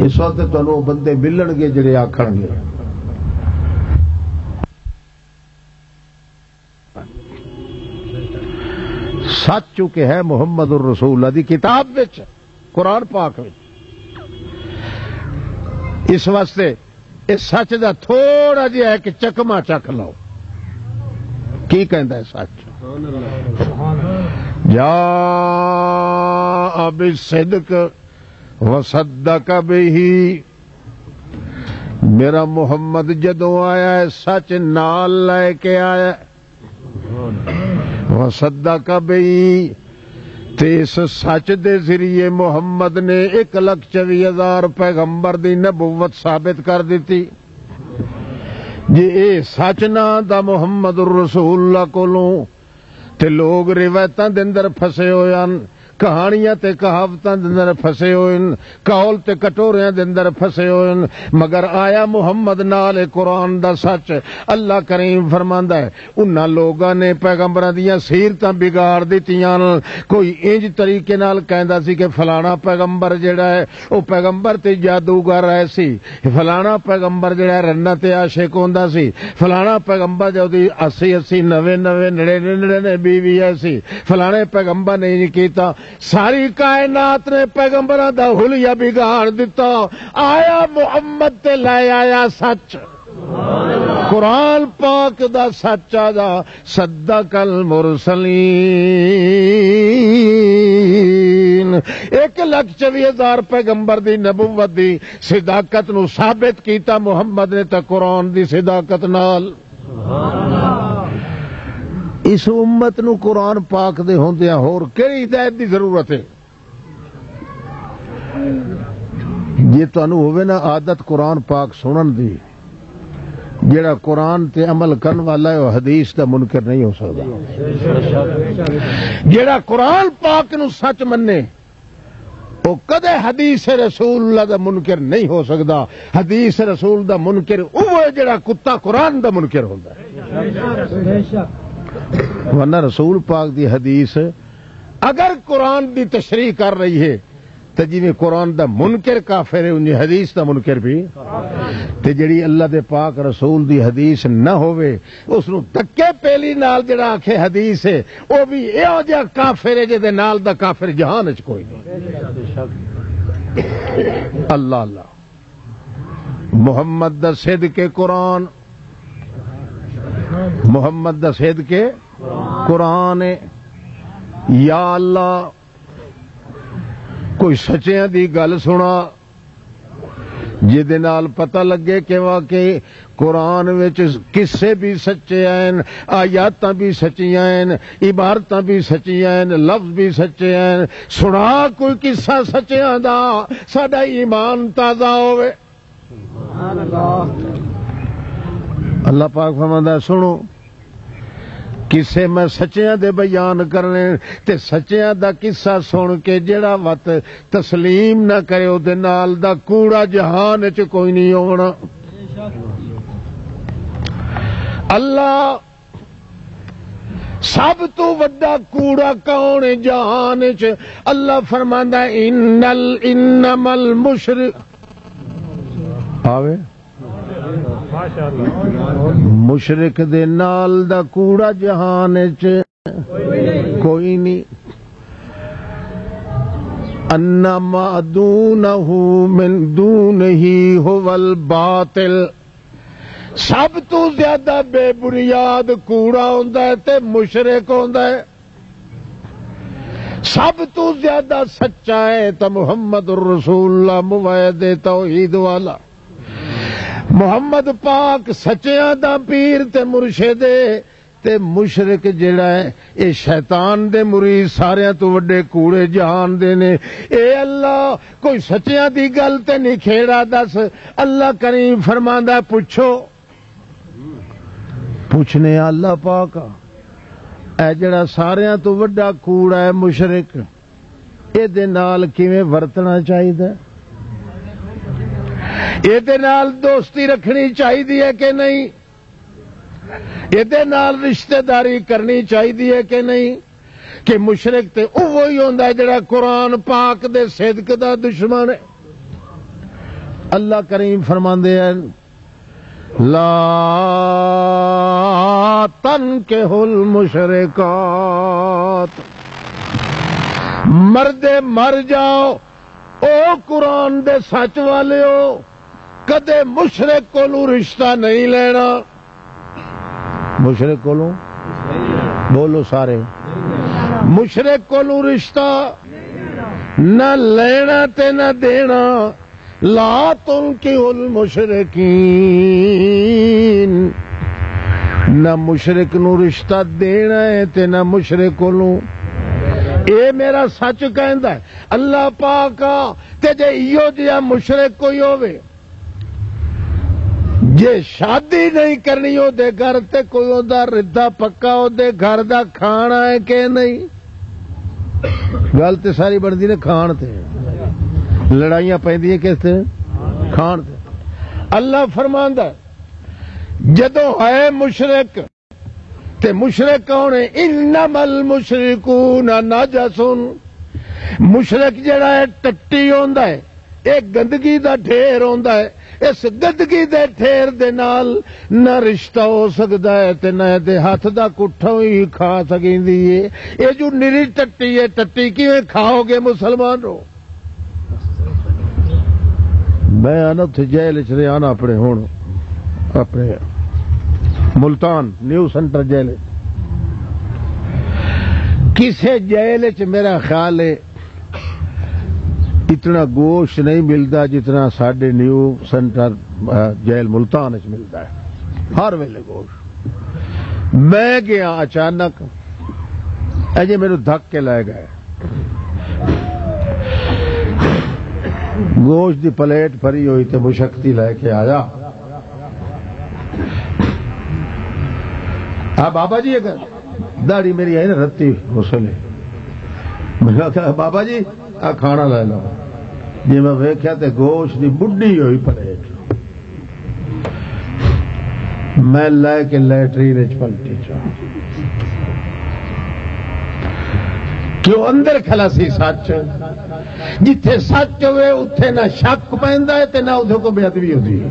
اس وقت تانوں او بندے ملن گے جڑے آکھن گے، سچ چونکہ ہے محمد الرسول اللہ دی کتاب وچ، قرآن پاک وچ۔ اس واسطے اس سچ دا تھوڑا جہا ایک چکما چکھ لو۔ کی کہندا ہے سچ؟ جاء بالصدق وصدق به۔ میرا محمد جدوں آیا ہے، سچ نال لے کے آیا ہے۔ وصدق به، تے اس سچ دے ذریعے محمد نے ایک لکھ چوی ہزار پیغمبر دی نبوت ثابت کر دتی۔ جے اے سچ نہ دا محمد الرسول اللہ کولوں، تے لوگ روایتاں دے اندر پھسے ہوئے ہن، کہانیاں تے کہاوتاں دے اندر پھسے ہوئے ہن، قول تے کٹوریاں دے اندر پھسے ہوئے ہن، مگر آیا محمد نال اے قرآن دا سچ۔ اللہ کریم فرماندا ہے، انہاں لوگاں نے پیغمبراں دیاں سیرتاں بگاڑ دتیاں۔ کوئی انج طریقے نال کہندا سی کہ فلانا پیغمبر جڑا ہے، او پیغمبر تے جادوگر ہے سی، فلانا پیغمبر جڑا ہے رنہ تے عاشق ہوندا سی، فلانا پیغمبر جو دی اسی اسی، نوے نوے، نڑے نڑے بیوی ہے سی، فلانے پیغمبر نے انج کیتا۔ ساری کائنات نے پیغمبراں دا حلیہ بگاڑ دتا۔ آیا محمد تے لے آیا سچ۔ قرآن پاک دا سچ آ جا، صدق المرسلین۔ ایک لکھ چوی ہزار پیغمبر دی نبوت دی صداقت نو ثابت کیتا محمد نے تے قرآن دی صداقت نال۔ اس امت نو قرآن پاک دے ہوندیاں ہور کیڑی ہدایت دی ضرورت ہے؟ جے تانوں ہووے نا عادت قرآن پاک سنن دی، جیڑا قرآن تے عمل کرن والا ہے، وہ حدیث دا منکر نہیں ہو سکدا۔ جیڑا قرآن پاک نو سچ منے، وہ کدے حدیث رسول اللہ دا منکر نہیں ہو سکدا۔ حدیث رسول دا منکر وہ ہے جیڑا کتا قرآن دا منکر ہوندا ہے۔ ورنہ رسول پاک دی حدیث اگر قرآن دی تشریح کر رہی ہے، تے جویں قرآن دا منکر کافر ہے، انجی حدیث دا منکر بھی۔ تے جڑی اللہ دے پاک رسول دی حدیث نہ ہووے، اس نو دھکے پیلی نال جڑا آکھے حدیث ہے، او بھی ایہو جہا کافر ہے جے دے نال دا کافر جہان وچ کوئی نہیں۔ اللہ اللہ۔ محمد دا صدق قرآن، محمد دا صدق قرآن ہے۔ یا اللہ، کوئی سچیاں دی گل سنا، جس دے نال پتہ لگے کہ واقعی قرآن وچ قصے بھی سچے ہیں، آیاتاں بھی سچیاں ہیں، عبارتاں بھی سچیاں ہیں، لفظ بھی سچے ہیں۔ سنا کوئی قصہ سچیاں دا، ساڈا ایمان تازہ ہوئے۔ اللہ پاک فرماندا ہے، سنو، قصے میں سچیاں دے بیان کرنے، تے سچیاں دا قصہ سن کے جڑا وت تسلیم نہ کرے، او دے نال دا کوڑا جہان وچ کوئی نہیں ہونا۔ اللہ سب تو وڈا کوڑا کون ہے جہان وچ؟ اللہ فرماندا ہے، "ان ال-، انما المشرک"، آوے؟ مشرک دے نال دا کوڑا جہان وچ کوئی نہیں۔ انما دونہ من دونہ هو الباطل۔ سب تو زیادہ بے بنیاد کوڑا ہوندا ہے تے مشرک ہوندا ہے۔ سب تو زیادہ سچا ہے تے محمد رسول اللہ، موحد توحید والا۔ محمد پاک سچیاں دا پیر تے مرشد ہے، تے مشرک جڑا ہے، اے شیطان دے مرید ساریاں تو وڈے کوڑے جہان دے نے۔ اے اللہ، کوئی سچیاں دی گل تے نہیں کھیڑا دس۔ اللہ کریم فرماندا، پوچھو، پوچھنے اللہ پاک، اے جڑا ساریاں تو وڈا کوڑا ہے مشرک، اے دے نال کیویں ورتنا چاہیدا؟ اے دے نال دوستی رکھنی چاہیدی ہے کہ نہیں؟ اے دے نال رشتہ داری کرنی چاہیدی ہے کہ نہیں؟ کہ مشرک تے اوہی ہوندا ہے جڑا قرآن پاک دے صدق دا دشمن ہے۔ اللہ کریم فرماندے ہیں، "لا تنکحوا المشرکات۔" مردے مر جاؤ، او قرآن دے سچ والے ہو، کدے مشرک کولوں رشتہ نہیں لینا۔ مشرک کولوں، بولو سارے، مشرک کولوں رشتہ نہ لینا تے نہ دینا۔ لا تنکحوا المشرکین، نہ مشرک نو رشتہ دینا ہے تے نہ مشرک کولوں۔ اے میرا سچ کہندا ہے اللہ پاک آ۔ تے جے ایہو جہا مشرک کوئی ہووے، جے شادی نہیں کرنی او دے گھر، تے کوئی اوندا ردہ پکا او دے گھر دا کھانا ہے کہ نہیں؟ گل تے ساری بنتی نے کھان تے، لڑائیاں پیندیاں کس تے؟ کھان تے۔ اللہ فرماندا ہے، جدوں ہے مشرک، تے مشرک کون ہے؟ "انما المشرکون نجس۔" مشرک جڑا ہے، ٹٹی ہوندا ہے، ایک گندگی دا ڈھیر ہوندا ہے۔ اس گندگی دے ڈھیر دے نال نہ رشتہ ہو سکدا ہے تے نہ دے ہاتھ دا کٹھا ہی کھا سکیندی ہے۔ اے جو نری ٹٹی ہے، ٹٹی کیویں کھاؤ گے مسلمانو؟ میں آنا اتھے جیل چ رہیا نا اپنے، ہن اپنے ملتان نیو سینٹر جیل۔ کسے جیل چ میرا خیال ہے اتنا گوشت نہیں ملتا جتنا ساڈے نیو سینٹر، آ، جیل ملتان چ ملتا ہے۔ ہر ویلے گوشت۔ میں گیا اچانک، اجے میرے دھک کے لے گئے۔ گوشت دی پلیٹ بھری ہوئی تے مشکتی لے کے آیا۔ آ بابا جی، اگر داڑھی میری آئی نا رتی اس ویلے، میں کہا، "بابا جی، آ کھانا لے لو۔" جی میں ویکھیا تے گوشت دی بڈھی ہوئی پلیٹ۔ میں لے کے لیٹرین وچ پلٹی چا۔ کیوں اندر کھلا سی سچ؟ جتھے سچ ہوئے، اتھے نہ شک پیندا ہے تے نہ اتھے کوئی بے ادبی ہوندی ہے۔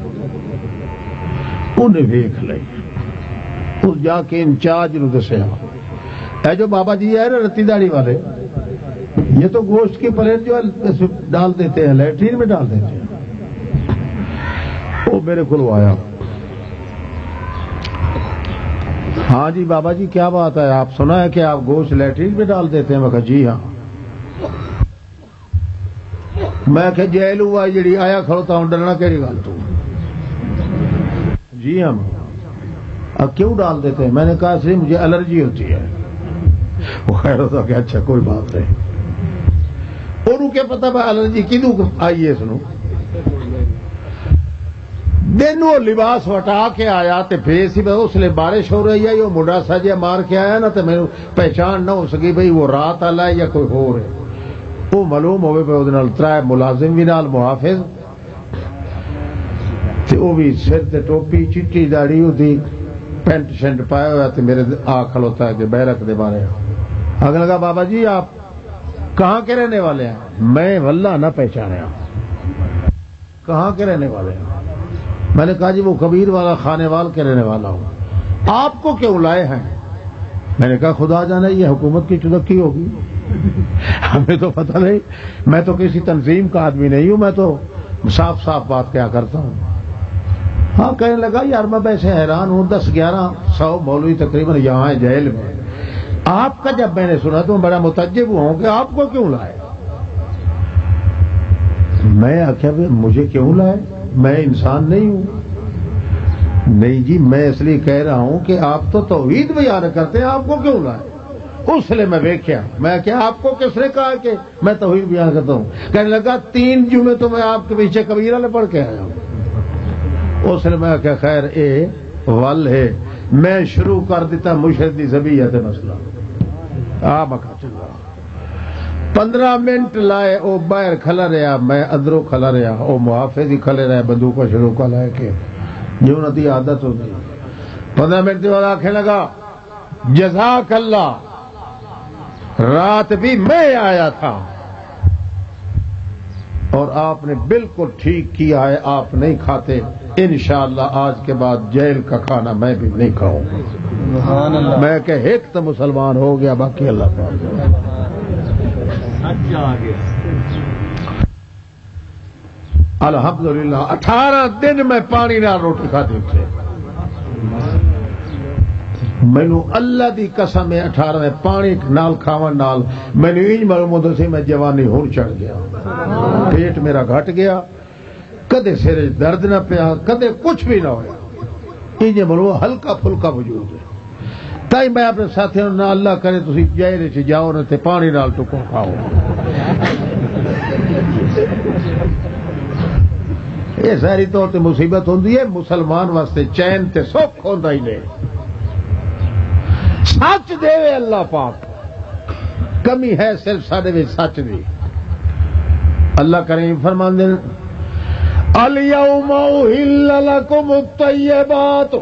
انہیں ویکھ لئی۔ اس جا کے انچارج نو دسیا، "اے جو بابا جی ہے نا رتی داڑھی والے، یہ تو گوشت کی پلیٹ جو ہے، اس میں ڈال دیتے ہیں، لیٹرین میں ڈال دیتے ہیں۔" وہ میرے کو آیا، "ہاں جی بابا جی، کیا بات ہے؟ آپ سنا ہے کہ آپ گوشت لیٹرین میں ڈال دیتے ہیں؟" میں کہا، "جی ہاں۔" میں کہا، "جیل ہوا جڑی آیا کھڑوتا ہوں، ڈرنا کہڑی گل تو؟" "جی ہاں۔" "آ، کیوں ڈال دیتے ہیں؟" میں نے کہا، "اس لیے مجھے الرجی ہوتی ہے۔" وہ خیر ہوتا کہ اچھا، کوئی بات نہیں۔ اور کیا پتا میں الرجی کدوں آئی ہے اس نو؟ دن وہ لباس وٹا کے آیا تے پھر سی، بس اس لیے بارش ہو رہی ہے، وہ منڈا سا جہا مار کے آیا نا، تے مینوں پہچان نہ ہو سکی بھئی وہ رات والا ہے یا کوئی ہور ہے۔ وہ معلوم ہوئے پہ، وہ نال ترائے ملازم بھی نال، محافظ، تے وہ بھی سر تے ٹوپی، چٹی داڑھی، وہ دی پینٹ شینٹ پایا ہوا، تے میرے آ کھلوتا ہے کہ بیرک دے بارے۔ اگلا کہا، "بابا جی، آپ کہاں کے رہنے والے ہیں؟" میں واللہ نہ پہچانا۔ کہاں کے رہنے والے ہیں؟ میں نے کہا، "جی، وہ کبیر والا خانے وال کے رہنے والا ہوں۔" "آپ کو کیوں لائے ہیں؟" میں نے کہا، "خدا جانے یہ حکومت کی چلکی ہوگی۔" ہمیں تو پتہ نہیں، میں تو کسی تنظیم کا آدمی نہیں ہوں، میں تو صاف صاف بات کیا کرتا ہوں۔ ہاں، کہنے لگا، "یار، میں ویسے حیران ہوں، دس گیارہ سو مولوی تقریباً یہاں ہیں جیل میں، آپ کا جب میں نے سنا تو میں بڑا متعجب ہوا ہوں کہ آپ کو کیوں لائے۔" میں آخیا، "بھی مجھے کیوں لائے؟ میں انسان نہیں ہوں۔" "نہیں جی، میں اس لیے کہہ رہا ہوں کہ آپ تو توحید بیان کرتے ہیں، آپ کو کیوں لائے؟" اس لیے میں ویکھیا، میں کہا، "آپ کو کس نے کہا کہ میں توحید بیان کرتا ہوں؟" کہنے لگا، "تین جمعے تو میں آپ کے پیچھے کبیر والے پڑھ کے آیا ہوں۔" اس لیے میں کہا، "خیر، اے ول ہے۔" میں شروع کر دیتا مشرک دی ذبیحہ تے مسئلہ۔ آ مکہ چلا۔ پندرہ منٹ لائے، او باہر کھلا رہیا، میں اندروں کھلا رہیا، او محافظ ہی کھلے رہے، بندوقاں شندوقاں لے کے، جو انہاں دی عادت ہوندی۔ پندرہ منٹ دے بعد آکھنے لگا، "جزاک اللہ، رات بھی میں آیا تھا۔" اور آپ نے بالکل ٹھیک کیا ہے، آپ نہیں کھاتے۔ انشاءاللہ آج کے بعد جیل کا کھانا میں بھی نہیں کھاؤں گا۔ میں کہ ایک تو مسلمان ہو گیا، باقی اللہ پاک۔ الحمدللہ، اٹھارہ دن میں پانی نال روٹی کھادی اتھے۔ مینوں اللہ دی قسم ہے، اٹھارہ دے پانی نال کھاون نال مینوں انج معلوم ہوندا سی میں جوانی ہون چڑھ گیا، پیٹ میرا گھٹ گیا، کدے سر وچ درد نہ پیا، کدے کچھ بھی نہ ہویا۔ انج معلوم ہلکا پھلکا وجود ہے۔ تائی میں اپنے ساتھیاں نوں، نہ اللہ کرے تسی جہل وچ جاؤ نہ تے پانی نال ٹکو کھاؤ۔ یہ ظاہری طور تے مصیبت ہوندی ہے، مسلمان واسطے چین تے سکھ ہوندا ہی نہیں۔ سچ دے اللہ پاک، کمی ہے صرف ساڈے وچ سچ دی۔ اللہ کریم فرماندے نے، "الیوم احل لکم الطیبات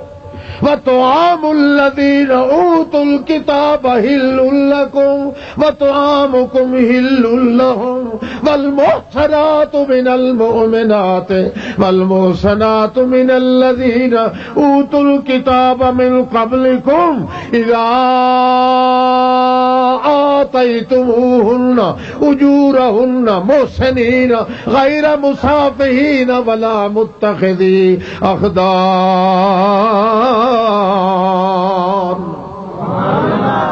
وطعام الذین اوتوا الکتاب حل لکم وطعامکم حل لهم، والمحصنات من المؤمنات والمحصنات من الذین اوتوا الکتاب من قبلکم اذا آتیتموهن اجورهن محصنین غیر مسافحین ولا متخذی اخدان۔"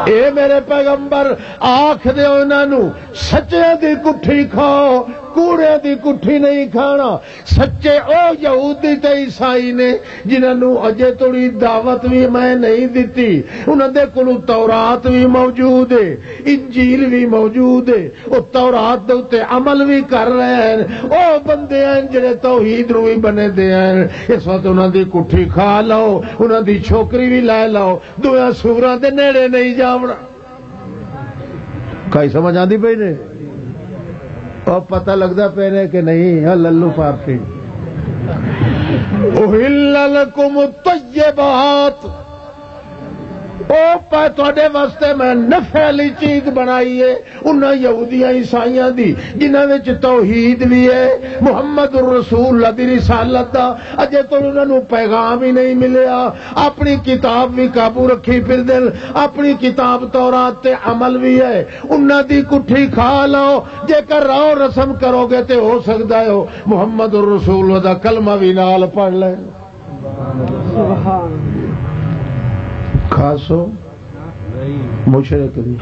اے میرے پیغمبر، آکھ دیو انہاں نوں، سچیاں دی کٹھی کھاؤ، کوڑیاں دی کٹھی نہیں کھانا۔ سچے او یہودی تے عیسائی نے، جنہاں نوں اجے توڑی دعوت بھی میں نہیں دتی۔ انہاں دے کولوں تورات بھی موجود ہے، انجیل بھی موجود ہے۔ او تورات دے اُتے عمل بھی کر رہے ہیں۔ او بندے ہیں جڑے توحید نوں بھی بنے دے ہیں۔ اس وقت انہاں دی کٹھی کھا لو، انہاں دی چھوکری بھی لے لو، دویاں سوراں دے نیڑے نہیں جاونا۔ کائی سمجھ آندی پئی نے؟ او پتہ لگدا پے نے کہ نہیں؟ ہاں، للو پارٹی۔ احل لکم الطیبات، او پہ تہاڈے واسطے میں نفع والی چیز بنائی ہے، انہاں یہودیاں عیسائیاں دی، جنہاں وچ توحید بھی ہے، محمد الرسول اللہ دی رسالت دا، اجے تو انہاں نوں پیغام ہی نہیں ملیا، اپنی کتاب بھی قابو رکھی پھر دل، اپنی کتاب تورات تے عمل بھی ہے، انہاں دی کٹھی کھا لو، جے کر رو رسم کرو گے تے ہو سکدا ہے او محمد الرسول اللہ دا کلمہ بھی نال پڑھ لے۔ کھاسو؟ مشرک دی۔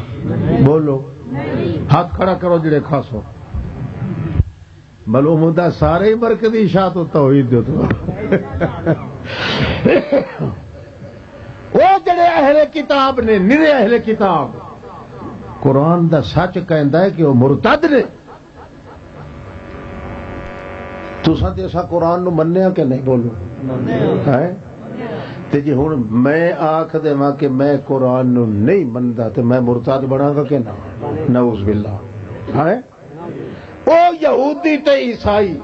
بولو۔ ہاتھ کھڑا کرو جڑے کھاسو۔ معلوم ہوندا سارے ہی مرکزی شاہ تو توحید دے تو۔ او جڑے اہل کتاب نے، نرے اہل کتاب، قرآن دا سچ کہندا ہے کہ او مرتد نے۔ تساں تے اساں قرآن نو منیا کہ نہیں؟ بولو۔ ہیں؟ تے جی ہن میں آکھ دیواں کہ میں قرآن نو نہیں مندا تے میں مرتد بناں گا کہ نہ؟ نعوذ باللہ۔ ہیں؟ او یہودی تے عیسائی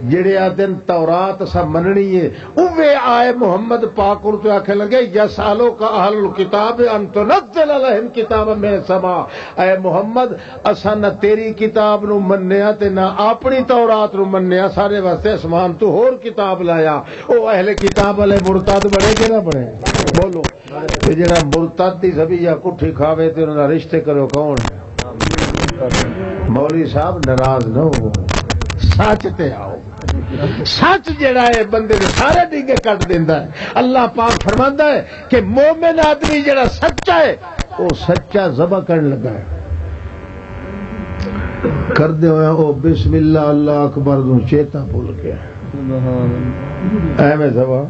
جڑے آدن تورات اساں مننی ہے، اوے آئے محمد پاک کول تے آکھن لگے، "یسألک اہل الکتاب ان تنزل علیہم کتابا من السماء۔" اے محمد، اساں نہ تیری کتاب نو منیا تے نہ اپنی تورات نو منیا، سارے واسطے اسمان تو ہور کتاب لایا۔ او اہل کتاب والے مرتد بنے کہ نہ بنے؟ بولو۔ تے جڑا مرتد دی زبیہ کٹھی کھاوے تے انہاں نال رشتے کرو، کون؟ مولوی صاحب ناراض نہ ہو، سچ تے آؤ۔ سچ جڑا ہے بندے دے سارے ڈیگے کٹ دیندا ہے۔ اللہ پاک فرماندا ہے کہ مومن آدمی جڑا سچا ہے، وہ سچا ذبح کرن لگا ہے، کردے ہوئے او بسم اللہ اللہ اکبر نو چیتا بھول گیا۔ ایویں ذبح۔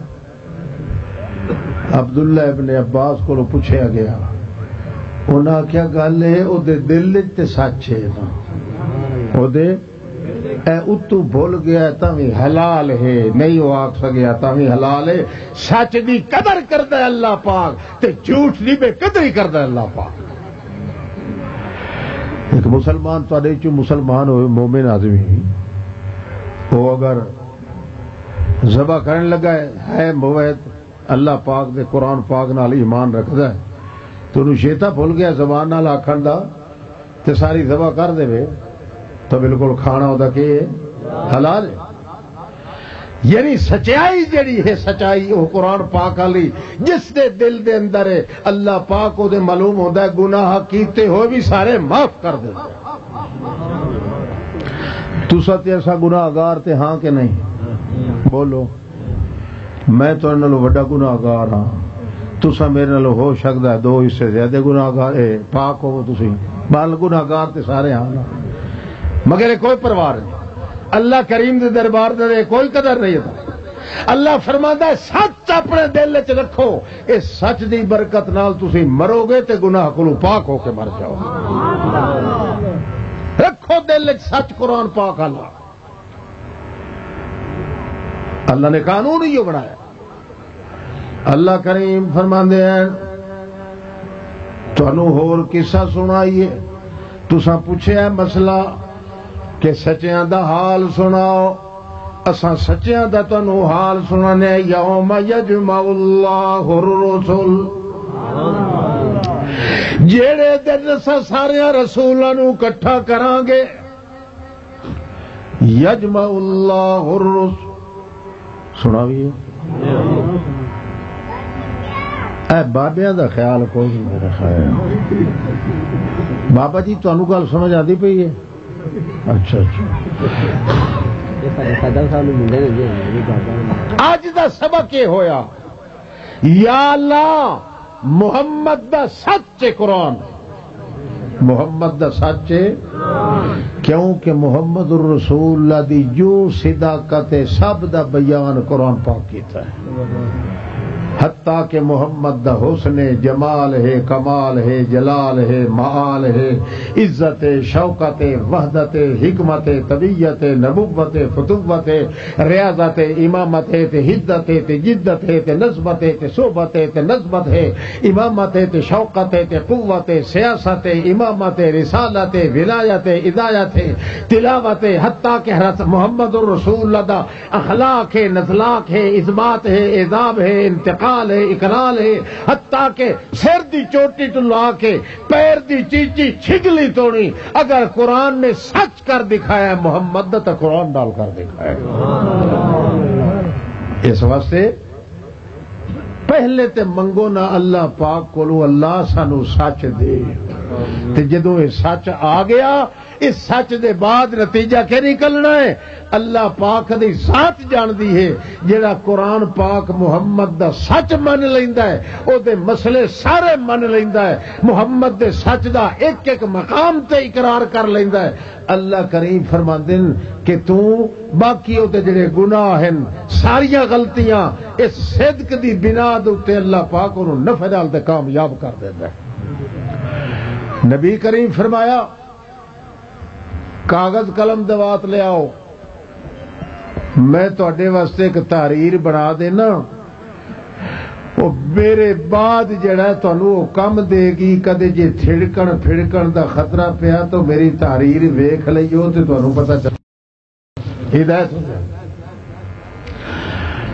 عبداللہ ابن عباس کو پوچھا گیا، انہاں آخیا، "گل ہے، او دے دل وچ تے سچ ہے نا، او دے اے اتو بھول گیا، تاں وی حلال ہے، نہیں وہ آکھ سکیا، تاں وی حلال ہے۔" سچ دی قدر کردا ہے اللہ پاک، تے جھوٹ دی بے قدری کردا ہے اللہ پاک۔ ایک مسلمان تہاڈے چوں مسلمان ہوئے، مومن آدمی، وہ اگر ذبح کرن لگا ہے، ہے موحد، اللہ پاک دے قرآن پاک نال ایمان رکھدا ہے، تے انہوں شیطان بھول گیا زبان نال آکھن دا، تے ساری ذبح کر دے، تو بالکل کھانا ہوتا کہ حلال ہے۔ یعنی سچائی جڑی ہے، سچائی وہ قرآن پاک والی، جس دے دل دے اندر ہے، اللہ پاک وہ دے معلوم ہوتا ہے، گناہ کیتے ہوئے بھی سارے معاف کر دے۔ تسا تے ایسا گناہ گار تے ہاں کہ نہیں؟ بولو۔ میں تہاڈے نالوں وڈا گناہگار ہاں، تساں میرے نالوں ہو سکدا ہے دو حصے زیادہ گناہگار، اے، پاک ہوو تسی، بل گناہگار تے سارے ہاں نا۔ مگر اے کوئی پرواہ نہیں، اللہ کریم دے دربار دے کوئی قدر نہیں ہے۔ اللہ فرماندا ہے، سچ اپنے دل وچ رکھو، اس سچ دی برکت نال تسی مرو گے تے گناہ کولوں پاک ہو کے مر جاؤ گے۔ رکھو دل وچ سچ، قرآن پاک اللہ اللہ نے قانون ہی بنایا۔ اللہ کریم فرماندے ہیں، تانوں ہور قصہ سنائیے؟ تساں پوچھیا ہے مسئلہ کہ سچیاں دا حال سناؤ، اساں سچیاں دا تانوں حال سنانے ہیں۔ یوم یجمع اللہ الرسل، جیڑے دن اساں سارے رسولاں نوں اکٹھا کراں گے، یجمع اللہ الرسل۔ سنا بھی ہے؟ اے بابیاں دا خیال کوئی نہیں میرا خیال۔ بابا جی، تانوں گل سمجھ آندی پئی ہے؟ اچھا، اچھا۔ اج دا سبق یہ ہویا، یا اللہ، محمد دا سچ ہے قرآن، محمد دا سچ ہے، کیونکہ محمد الرسول اللہ دی جو صداقت ہے، سب دا بیان قرآن پاک کیتا ہے۔ حتیٰ کہ محمد دا حسن ہے، جمال ہے، کمال ہے، جلال ہے، معال ہے، عزت ہے، شوکت ہے، وحدت ہے، حکمت ہے، طبیعت ہے، نبوت ہے، فتوت ہے، ریاضت ہے، امامت ہے، تے حدت ہے، تے جدت ہے، تے نسبت ہے، تے صحبت ہے، تے نسبت ہے، امامت ہے، تے شوکت ہے، تے قوت ہے، سیاست ہے، امامت ہے، رسالت ہے، ولایت ہے، ہدایت ہے، تلاوت ہے، حتیٰ کہ حضرت محمد الرسول اللہ دا اخلاق ہے، نزلاق ہے، اثبات ہے، اعذاب ہے، انتقال ہے، اقلال ہے، حتیٰ کہ سر دی چوٹی تو لا کے پیر دی چیچی چھگلی تونی، اگر قرآن نے سچ کر دکھایا ہے محمد دا، تو قرآن نال کر دکھایا ہے۔ اس واسطے پہلے تے منگو نا اللہ پاک کولو، اللہ سانو سچ دے۔ تے جدوں یہ سچ آ گیا، اس سچ دے بعد نتیجہ کیا نکلنا ہے؟ اللہ پاک دی ذات جاندی ہے۔ جڑا قرآن پاک محمد دا سچ من لیندا ہے، او دے مسئلے سارے من لیندا ہے۔ محمد دے سچ دا ایک ایک مقام تے اقرار کر لیندا ہے۔ اللہ کریم فرماندے نے کہ تو باقی او دے جڑے گناہ ہیں، ساریاں غلطیاں اس صدق دی بنا دے اُتے اللہ پاک انہوں نفع نال تے کامیاب کر دیندا ہے۔ نبی کریم فرمایا، کاغذ قلم دوات لے آؤ۔ میں تہاڈے واسطے ایک تحریر بنا دینا، وہ میرے بعد جڑا ہے تہانوں وہ کم دے گی۔ کدے جے تھڑکن پھڑکن دا خطرہ پیا تو میری تحریر ویکھ لئیو تے تہانوں پتہ چل ہدایت ہو جائے۔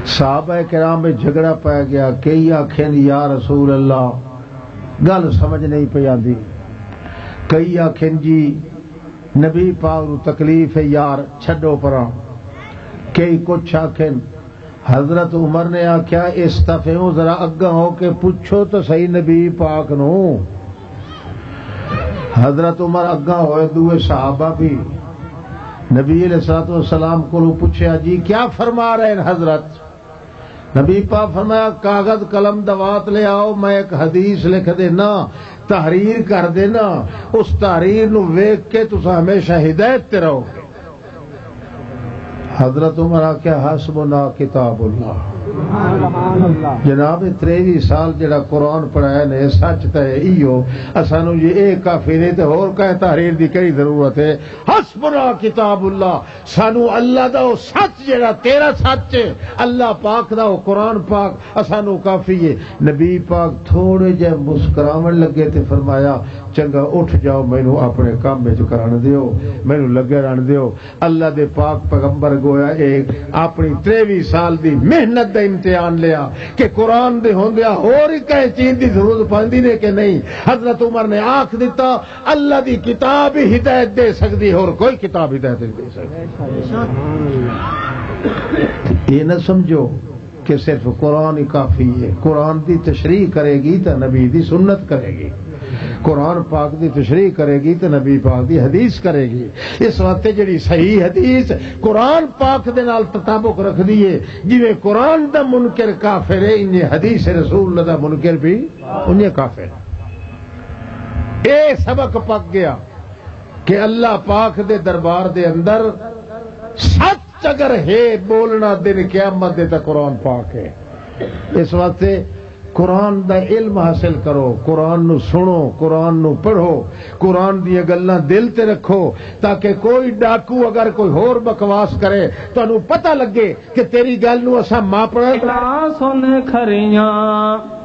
صحابہ کرام میں جھگڑا پی گیا، کئی آکھن یا رسول اللہ، گل سمجھ نہیں پی آندی۔ کئی آکھن جی نبی پاک نو تکلیف ہے یار، چھڈو پراں۔ کئی کچھ آکھن۔ حضرت عمر نے آکھیا، "اس طرف ہو، ذرا اگاں ہو کے پوچھو تو صحیح نبی پاک نو۔" حضرت عمر اگاں ہوئے، دوئے صحابہ بھی نبی علیہ الصلوۃ والسلام کو پوچھیا، "جی کیا فرما رہے ہیں حضرت؟" نبی پاک فرمایا، "کاغذ قلم دوات لے آؤ، میں ایک حدیث لکھ دینا، تحریر کر دینا، اس تحریر نو ویکھ کے تساں ہمیشہ ہدایت تے رہو گے۔" حضرت عمر آکھیا، "حسبنا کتاب اللہ۔" جناب، تریوی سال جڑا قرآن پڑھایا نے، سچ تے ایہو، اسانو یہ اے کافی نہیں تے ہور کہیں تحریر دی کئی ضرورت ہے؟ حسبنا کتاب اللہ، سانو اللہ دا او سچ جڑا تیرا سچ ہے، اللہ پاک دا او قرآن پاک، اسانو کافی ہے۔ نبی پاک تھوڑے جے مسکراون لگے تے فرمایا، "چنگا، اٹھ جاؤ، مینوں اپنے کم وچ کرن دیو، مینوں لگے رہن دیو۔" اللہ دے پاک پیغمبر گویا اے اپنی تریوی سال دی محنت دا امتحان لیا کہ قرآن دے ہوندیا ہور ہی کہیں چیز دی ضرورت پاندی نے کہ نہیں۔ حضرت عمر نے آکھ دتا، "اللہ دی کتاب ہی ہدایت دے سکدی، ہور کوئی کتاب ہدایت نہیں دے سکدی۔" یہ نہ سمجھو کہ صرف قرآن ہی کافی ہے۔ قرآن دی تشریح کرے گی تے نبی دی سنت کرے گی، قرآن پاک دی تشریح کرے گی تے نبی پاک دی حدیث کرے گی۔ اس واسطے جڑی صحیح حدیث قرآن پاک دے نال تطابق رکھدی ہے، جویں قرآن دا منکر کافر ہے، انجے حدیث رسول اللہ دا منکر بھی انجے کافر۔ اے سبق پک گیا کہ اللہ پاک دے دربار دے اندر سچ اگر ہے بولنا دن قیامت دے، تاں قرآن پاک ہے۔ اس واسطے قرآن دا علم حاصل کرو، قرآن نو سنو، قرآن نو پڑھو، قرآن دیاں گلاں دل تے رکھو، تاکہ کوئی ڈاکو اگر کوئی ہور بکواس کرے، تانوں پتہ لگے کہ تیری گل نو اساں ماپنا۔ سن کھریاں۔